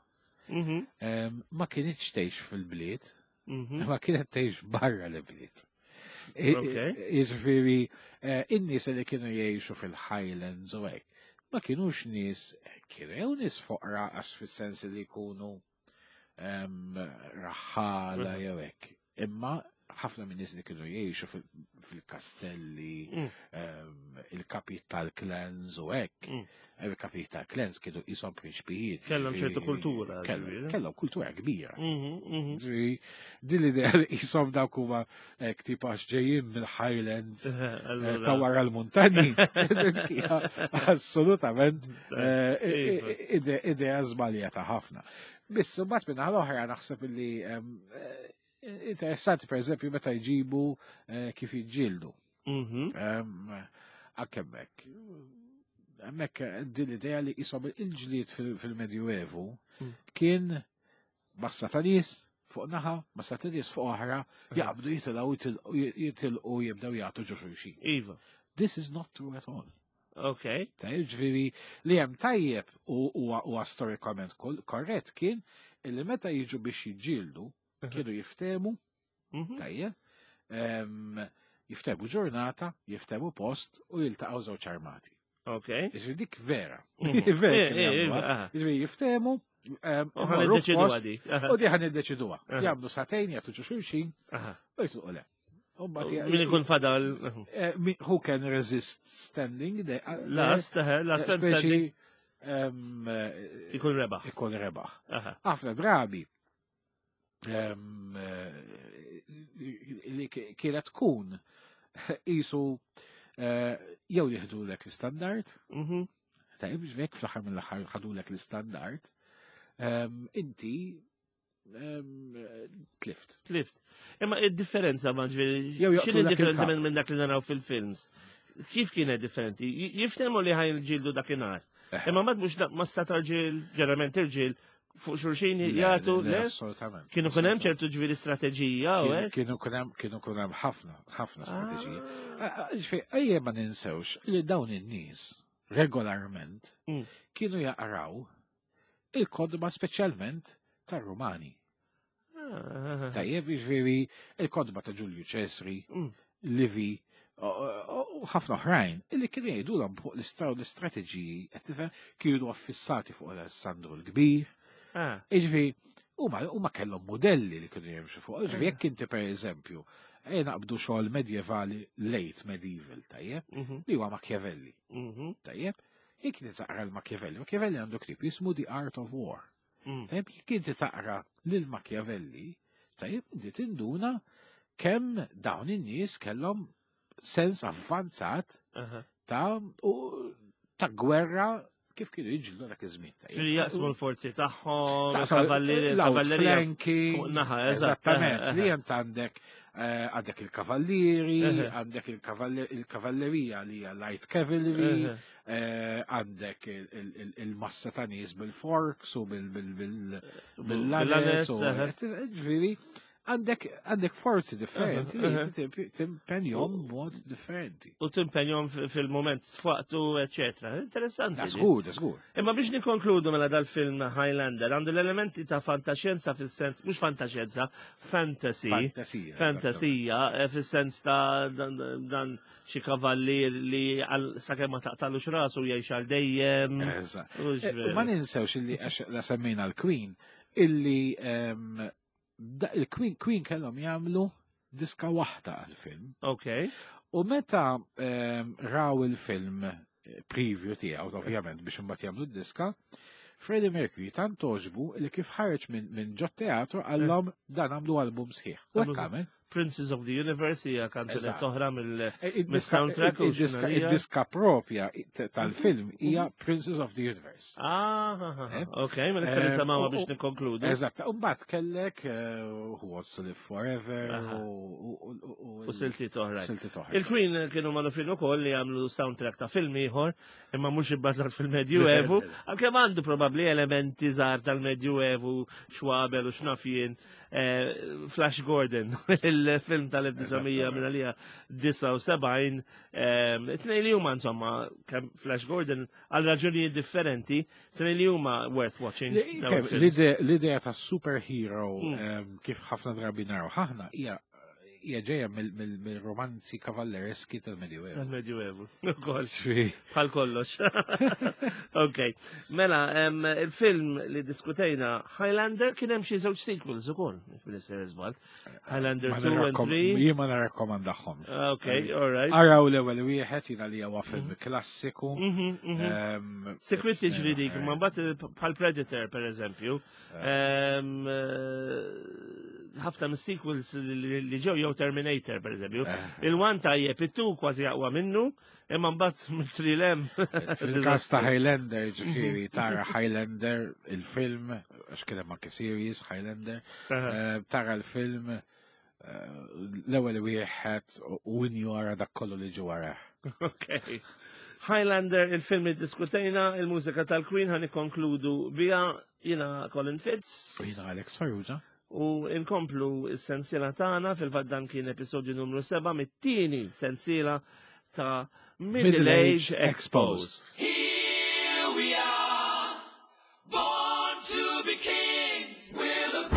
Mhm. em, ma kienitx tgħix fil-bliet, Mhm. ma kienet tgħix barra l-bliet. Ok. Jiġifieri, eh, in-nies li kienu jgħixu fil-Highlands u hekk, ma kienux nies, kienu jew nies foqra għax fis-sens li jkunu em, raħħala Mhm. jew hekk. Imma ħafna minn nies li kienu jgħixu fil- fil-kastelli, Mm. em, il-kapijiet tal-clans u hekk. Mm. Il-kapijiet tal-clans kienu jisom prinċpijiet. Kellhom ċertu jiġifieri, kultura, kellhom- ġifieri. Kellhom kultura kbira. Mhm. Mhm. Ġifieri, din l-idea li jisom dawk huma hekk tipo għax ġejjin mill-Highlands eh, Allura- ta' wara l-muntanji. Dik hija Assolutament eh, Iva. ide- idea żbaljata ħafna. Biss mbagħad minn l-oħra naħseb li em, eh, interessanti per eżempju meta jġibu eh, kif jiġġieldu. Mhm. Em, Anke hemmhekk. Hemmhekk eh, din l-idea li jisom il-ġlied fil- fil-Medjuevu Mm. kien massa ta' nies fuq naħa, massa ta' nies fuq oħra, jaqbdu jitilgħu jitilqu jitilqu jibdew jagħtu ġo xulxin. Iva. This is not true at all. Ok. Tajjeb, ġifieri li hemm tajjeb u huwa huwa storikament kol- korrett kien illi meta jiġu biex jiġġieldu kienu jiftemu Mhm. tajjeb, em, jiftemu ġurnata, jiftemu post u jiltaqgħu żewġ armati. Ok. Ġifieri dik vera. Mhm. Vera Eh, kienu eh, jagħmluha. eh, aha. Ġifieri jiftemu, em, U ħan imorru iddeċidu f'post, għadi. Aha. U di ħan iddeċiduha. Aha. Jagħmlu sagħtejn jagħtu ġo xulxin Aha. u jitilqu le. U mbagħad Min ikun fadal. eh, mi- who can resist standing the Last, eh, last speċi standing. em, eh, Ikun rebaħ. ikun rebaħ. Aha. Ħafna drabi em, eh, li ki- kienet tkun isu eh, jew jieħdulek l-istandard, Mhm. tajjeb ġvek fl-aħħar mill-aħħar ħadulek l-istandard, em, inti em, tlift. Tlift. Imma id-differenza ma ġifieri, Jew x'inhi joqtulek d-differenza il-kap. minn minn dak li naraw fil-films? Kif kienet differenti? J- Jiftehmu li ħajn ġildu dakinhar. Eh. Imma mad mhux massa tal-ġil, ġeneralment irġiel, fuq xulxin Le, jagħtu, le, le? Assolutament. Kienu kun hemm ċertu ġifieri strateġija u Kienu- hekk? Kienu kun hemm kienu kun hemm ħafna, ħafna strateġija. Ah. Ġifieri, ejja ma ninsewx li dawn in-nies regolarment Mm. kienu jaqraw il-kodba speċjalment tar-Rumani. Ah. Tajjeb, jiġifieri il-kodba ta' Ġulju Ċesri, Mm. Livi, u u ħafna oħrajn, illi kienu jgħidulhom fuq l-istraw l-istrateġiji, qed tifhem, kienu affissati fuq Alessandru l-Kbir. Ah. Jiġifieri, huma huma kellhom modelli li kienu jimxu fuq. Jiġifieri jekk inti pereżempju, ejja naqbdu xogħol medjevali late medieval, tajjeb, Mhm. li huwa Machiavelli, Mhm. tajjeb. Jekk inti taqra l-Machiavelli, Machiavelli għandu ktieb jismu The Art of War. Mm. Tajjeb, jekk inti taqra lil Machiavelli, tajjeb, inti tinduna kemm dawn in-nies kellhom sens avvanzat Aha. ta' u ta' gwerra kif kienu jiġġieldu dak iż-żmien. tajjeb. Ġifieri jaqsmu l-forzi tagħhom, Taqsam il-kavallieri, il-kavallerija l-outflanking, fuq naħa, eżatt. Eżattament, Aha, li aha. jent għandek Eh, Għandek il-kavallieri, Eħe. għandek il-kavalli- il-kavallerija li hija light cavalry, Eħe. eh, għandek il- il- il- il-massa ta' nies bil-forks u bil- bil- bil- Bil-lanez, bil-lanez. u- eħe. Ġifieri, għandek għandek forzi differenti li Eħe, inti timp- timpenjhom b'mod differenti. U timpenjom fil-moment f'waqtu, eccetera. Interessanti. Da di. żgur, da żgur. Imma biex nikonkludu mela dal-film Highlander, għandu l-elementi ta' fantaxjenza fis-sens, mhux fantaxjenza, fantasy. Fantasija. Fantasija, eh, fis-sens ta' dan, dan xi kavallier li għal sakemm ma taqtalux rasu jgħix għal dejjem. Eżatt. Hux Eh, veru. U ma ninsewx illi għax la semmejna l-Queen, illi ehm, da- il-Queen Queen kellhom jagħmlu diska waħda għal-film. Ok. U meta ehm, raw il-film eh, preview tiegħu, ovvjament biex imbagħad jagħmlu d-diska, Freddie Mercury tant toġbu li kif ħareġ minn min ġot teatru qallhom dan għamlu album sħiħ. U hekk għamel. Princes of the Universe hija kanzunetta Eżatt. oħra mill Eh, id-diska- Mis-soundtrack u id-diska xinarija. id-diska propja tal-film hija Princess of the Universe. Ah, ah, ah, Eh? ok, ma nista' Eh, nisimgħuha u- biex u- nikkonkludu. Eżatt, u mbagħad kellek eh, Who Wants to Live Forever Aha. u- u- u- U siltiet oħrajn. siltiet oħra. Il-Queen kienu magħrufin ukoll li għamlu soundtrack ta' film ieħor, imma mhux ibbażat fil-Medjuevu, għalkemm għandu probabbli elementi żgħar tal-Medjuevu, xwabel u xnafjien. eh, Flash Gordon, il-film tal-elf disa' mija disgħa u sebgħin, tnejn li huma insomma, kemm Flash Gordon għal raġunijiet differenti, tnejn li huma worth watching. Li- dawn fem, il-films. l-ide- L-idea ta' superhero Mm. em, kif ħafna drabi naraw ħahna hija hija ġejja mill- mill- mill-romanzi kavallereski tal-Medjuevu. Tal-Medjuevu, ukoll. Ġifieri, Bħal kollox. Ok. Mela, em, il-film li diskutejna, Highlander, kien hemm xi żewġ sequels ukoll, fil-istess żball. Highlander ma two and nirrakkom- three. Jien ma narakkomandahom. Ok, all right. Araw l-ewwel wieħed jiena li huwa film klassiku. Mhm, mhm. em, Sikwit jiġri dik, eh, ma mbagħad bħal Predator per eżempju, em, eh, ħafna mis-sequels li li ġew jew Terminator per eżempju. eh, Il-one tajjeb, it-two kważi aqwa minnu, imma mbagħad mit-trilem. Fil-kas ta' Highlander, ġifieri, tara Highlander, il-film, għax kien hemm anke series Highlander, eh, tara l-film eh, l-ewwel wieħed u injora dak kollu li ġie wara. Ok. Highlander, il-film li diskutejna, il-mużika tal-Queen ħa nikkonkludu bija jiena Colin Fitz U jiena Alex Farrugia. U inkomplu s-sensiela tagħna. Fil-fatt dan kien episodju numru seba' mit-tieni sensiela ta' Middle Middle Age Age Exposed. Exposed. Here we are, born to be kings. We're the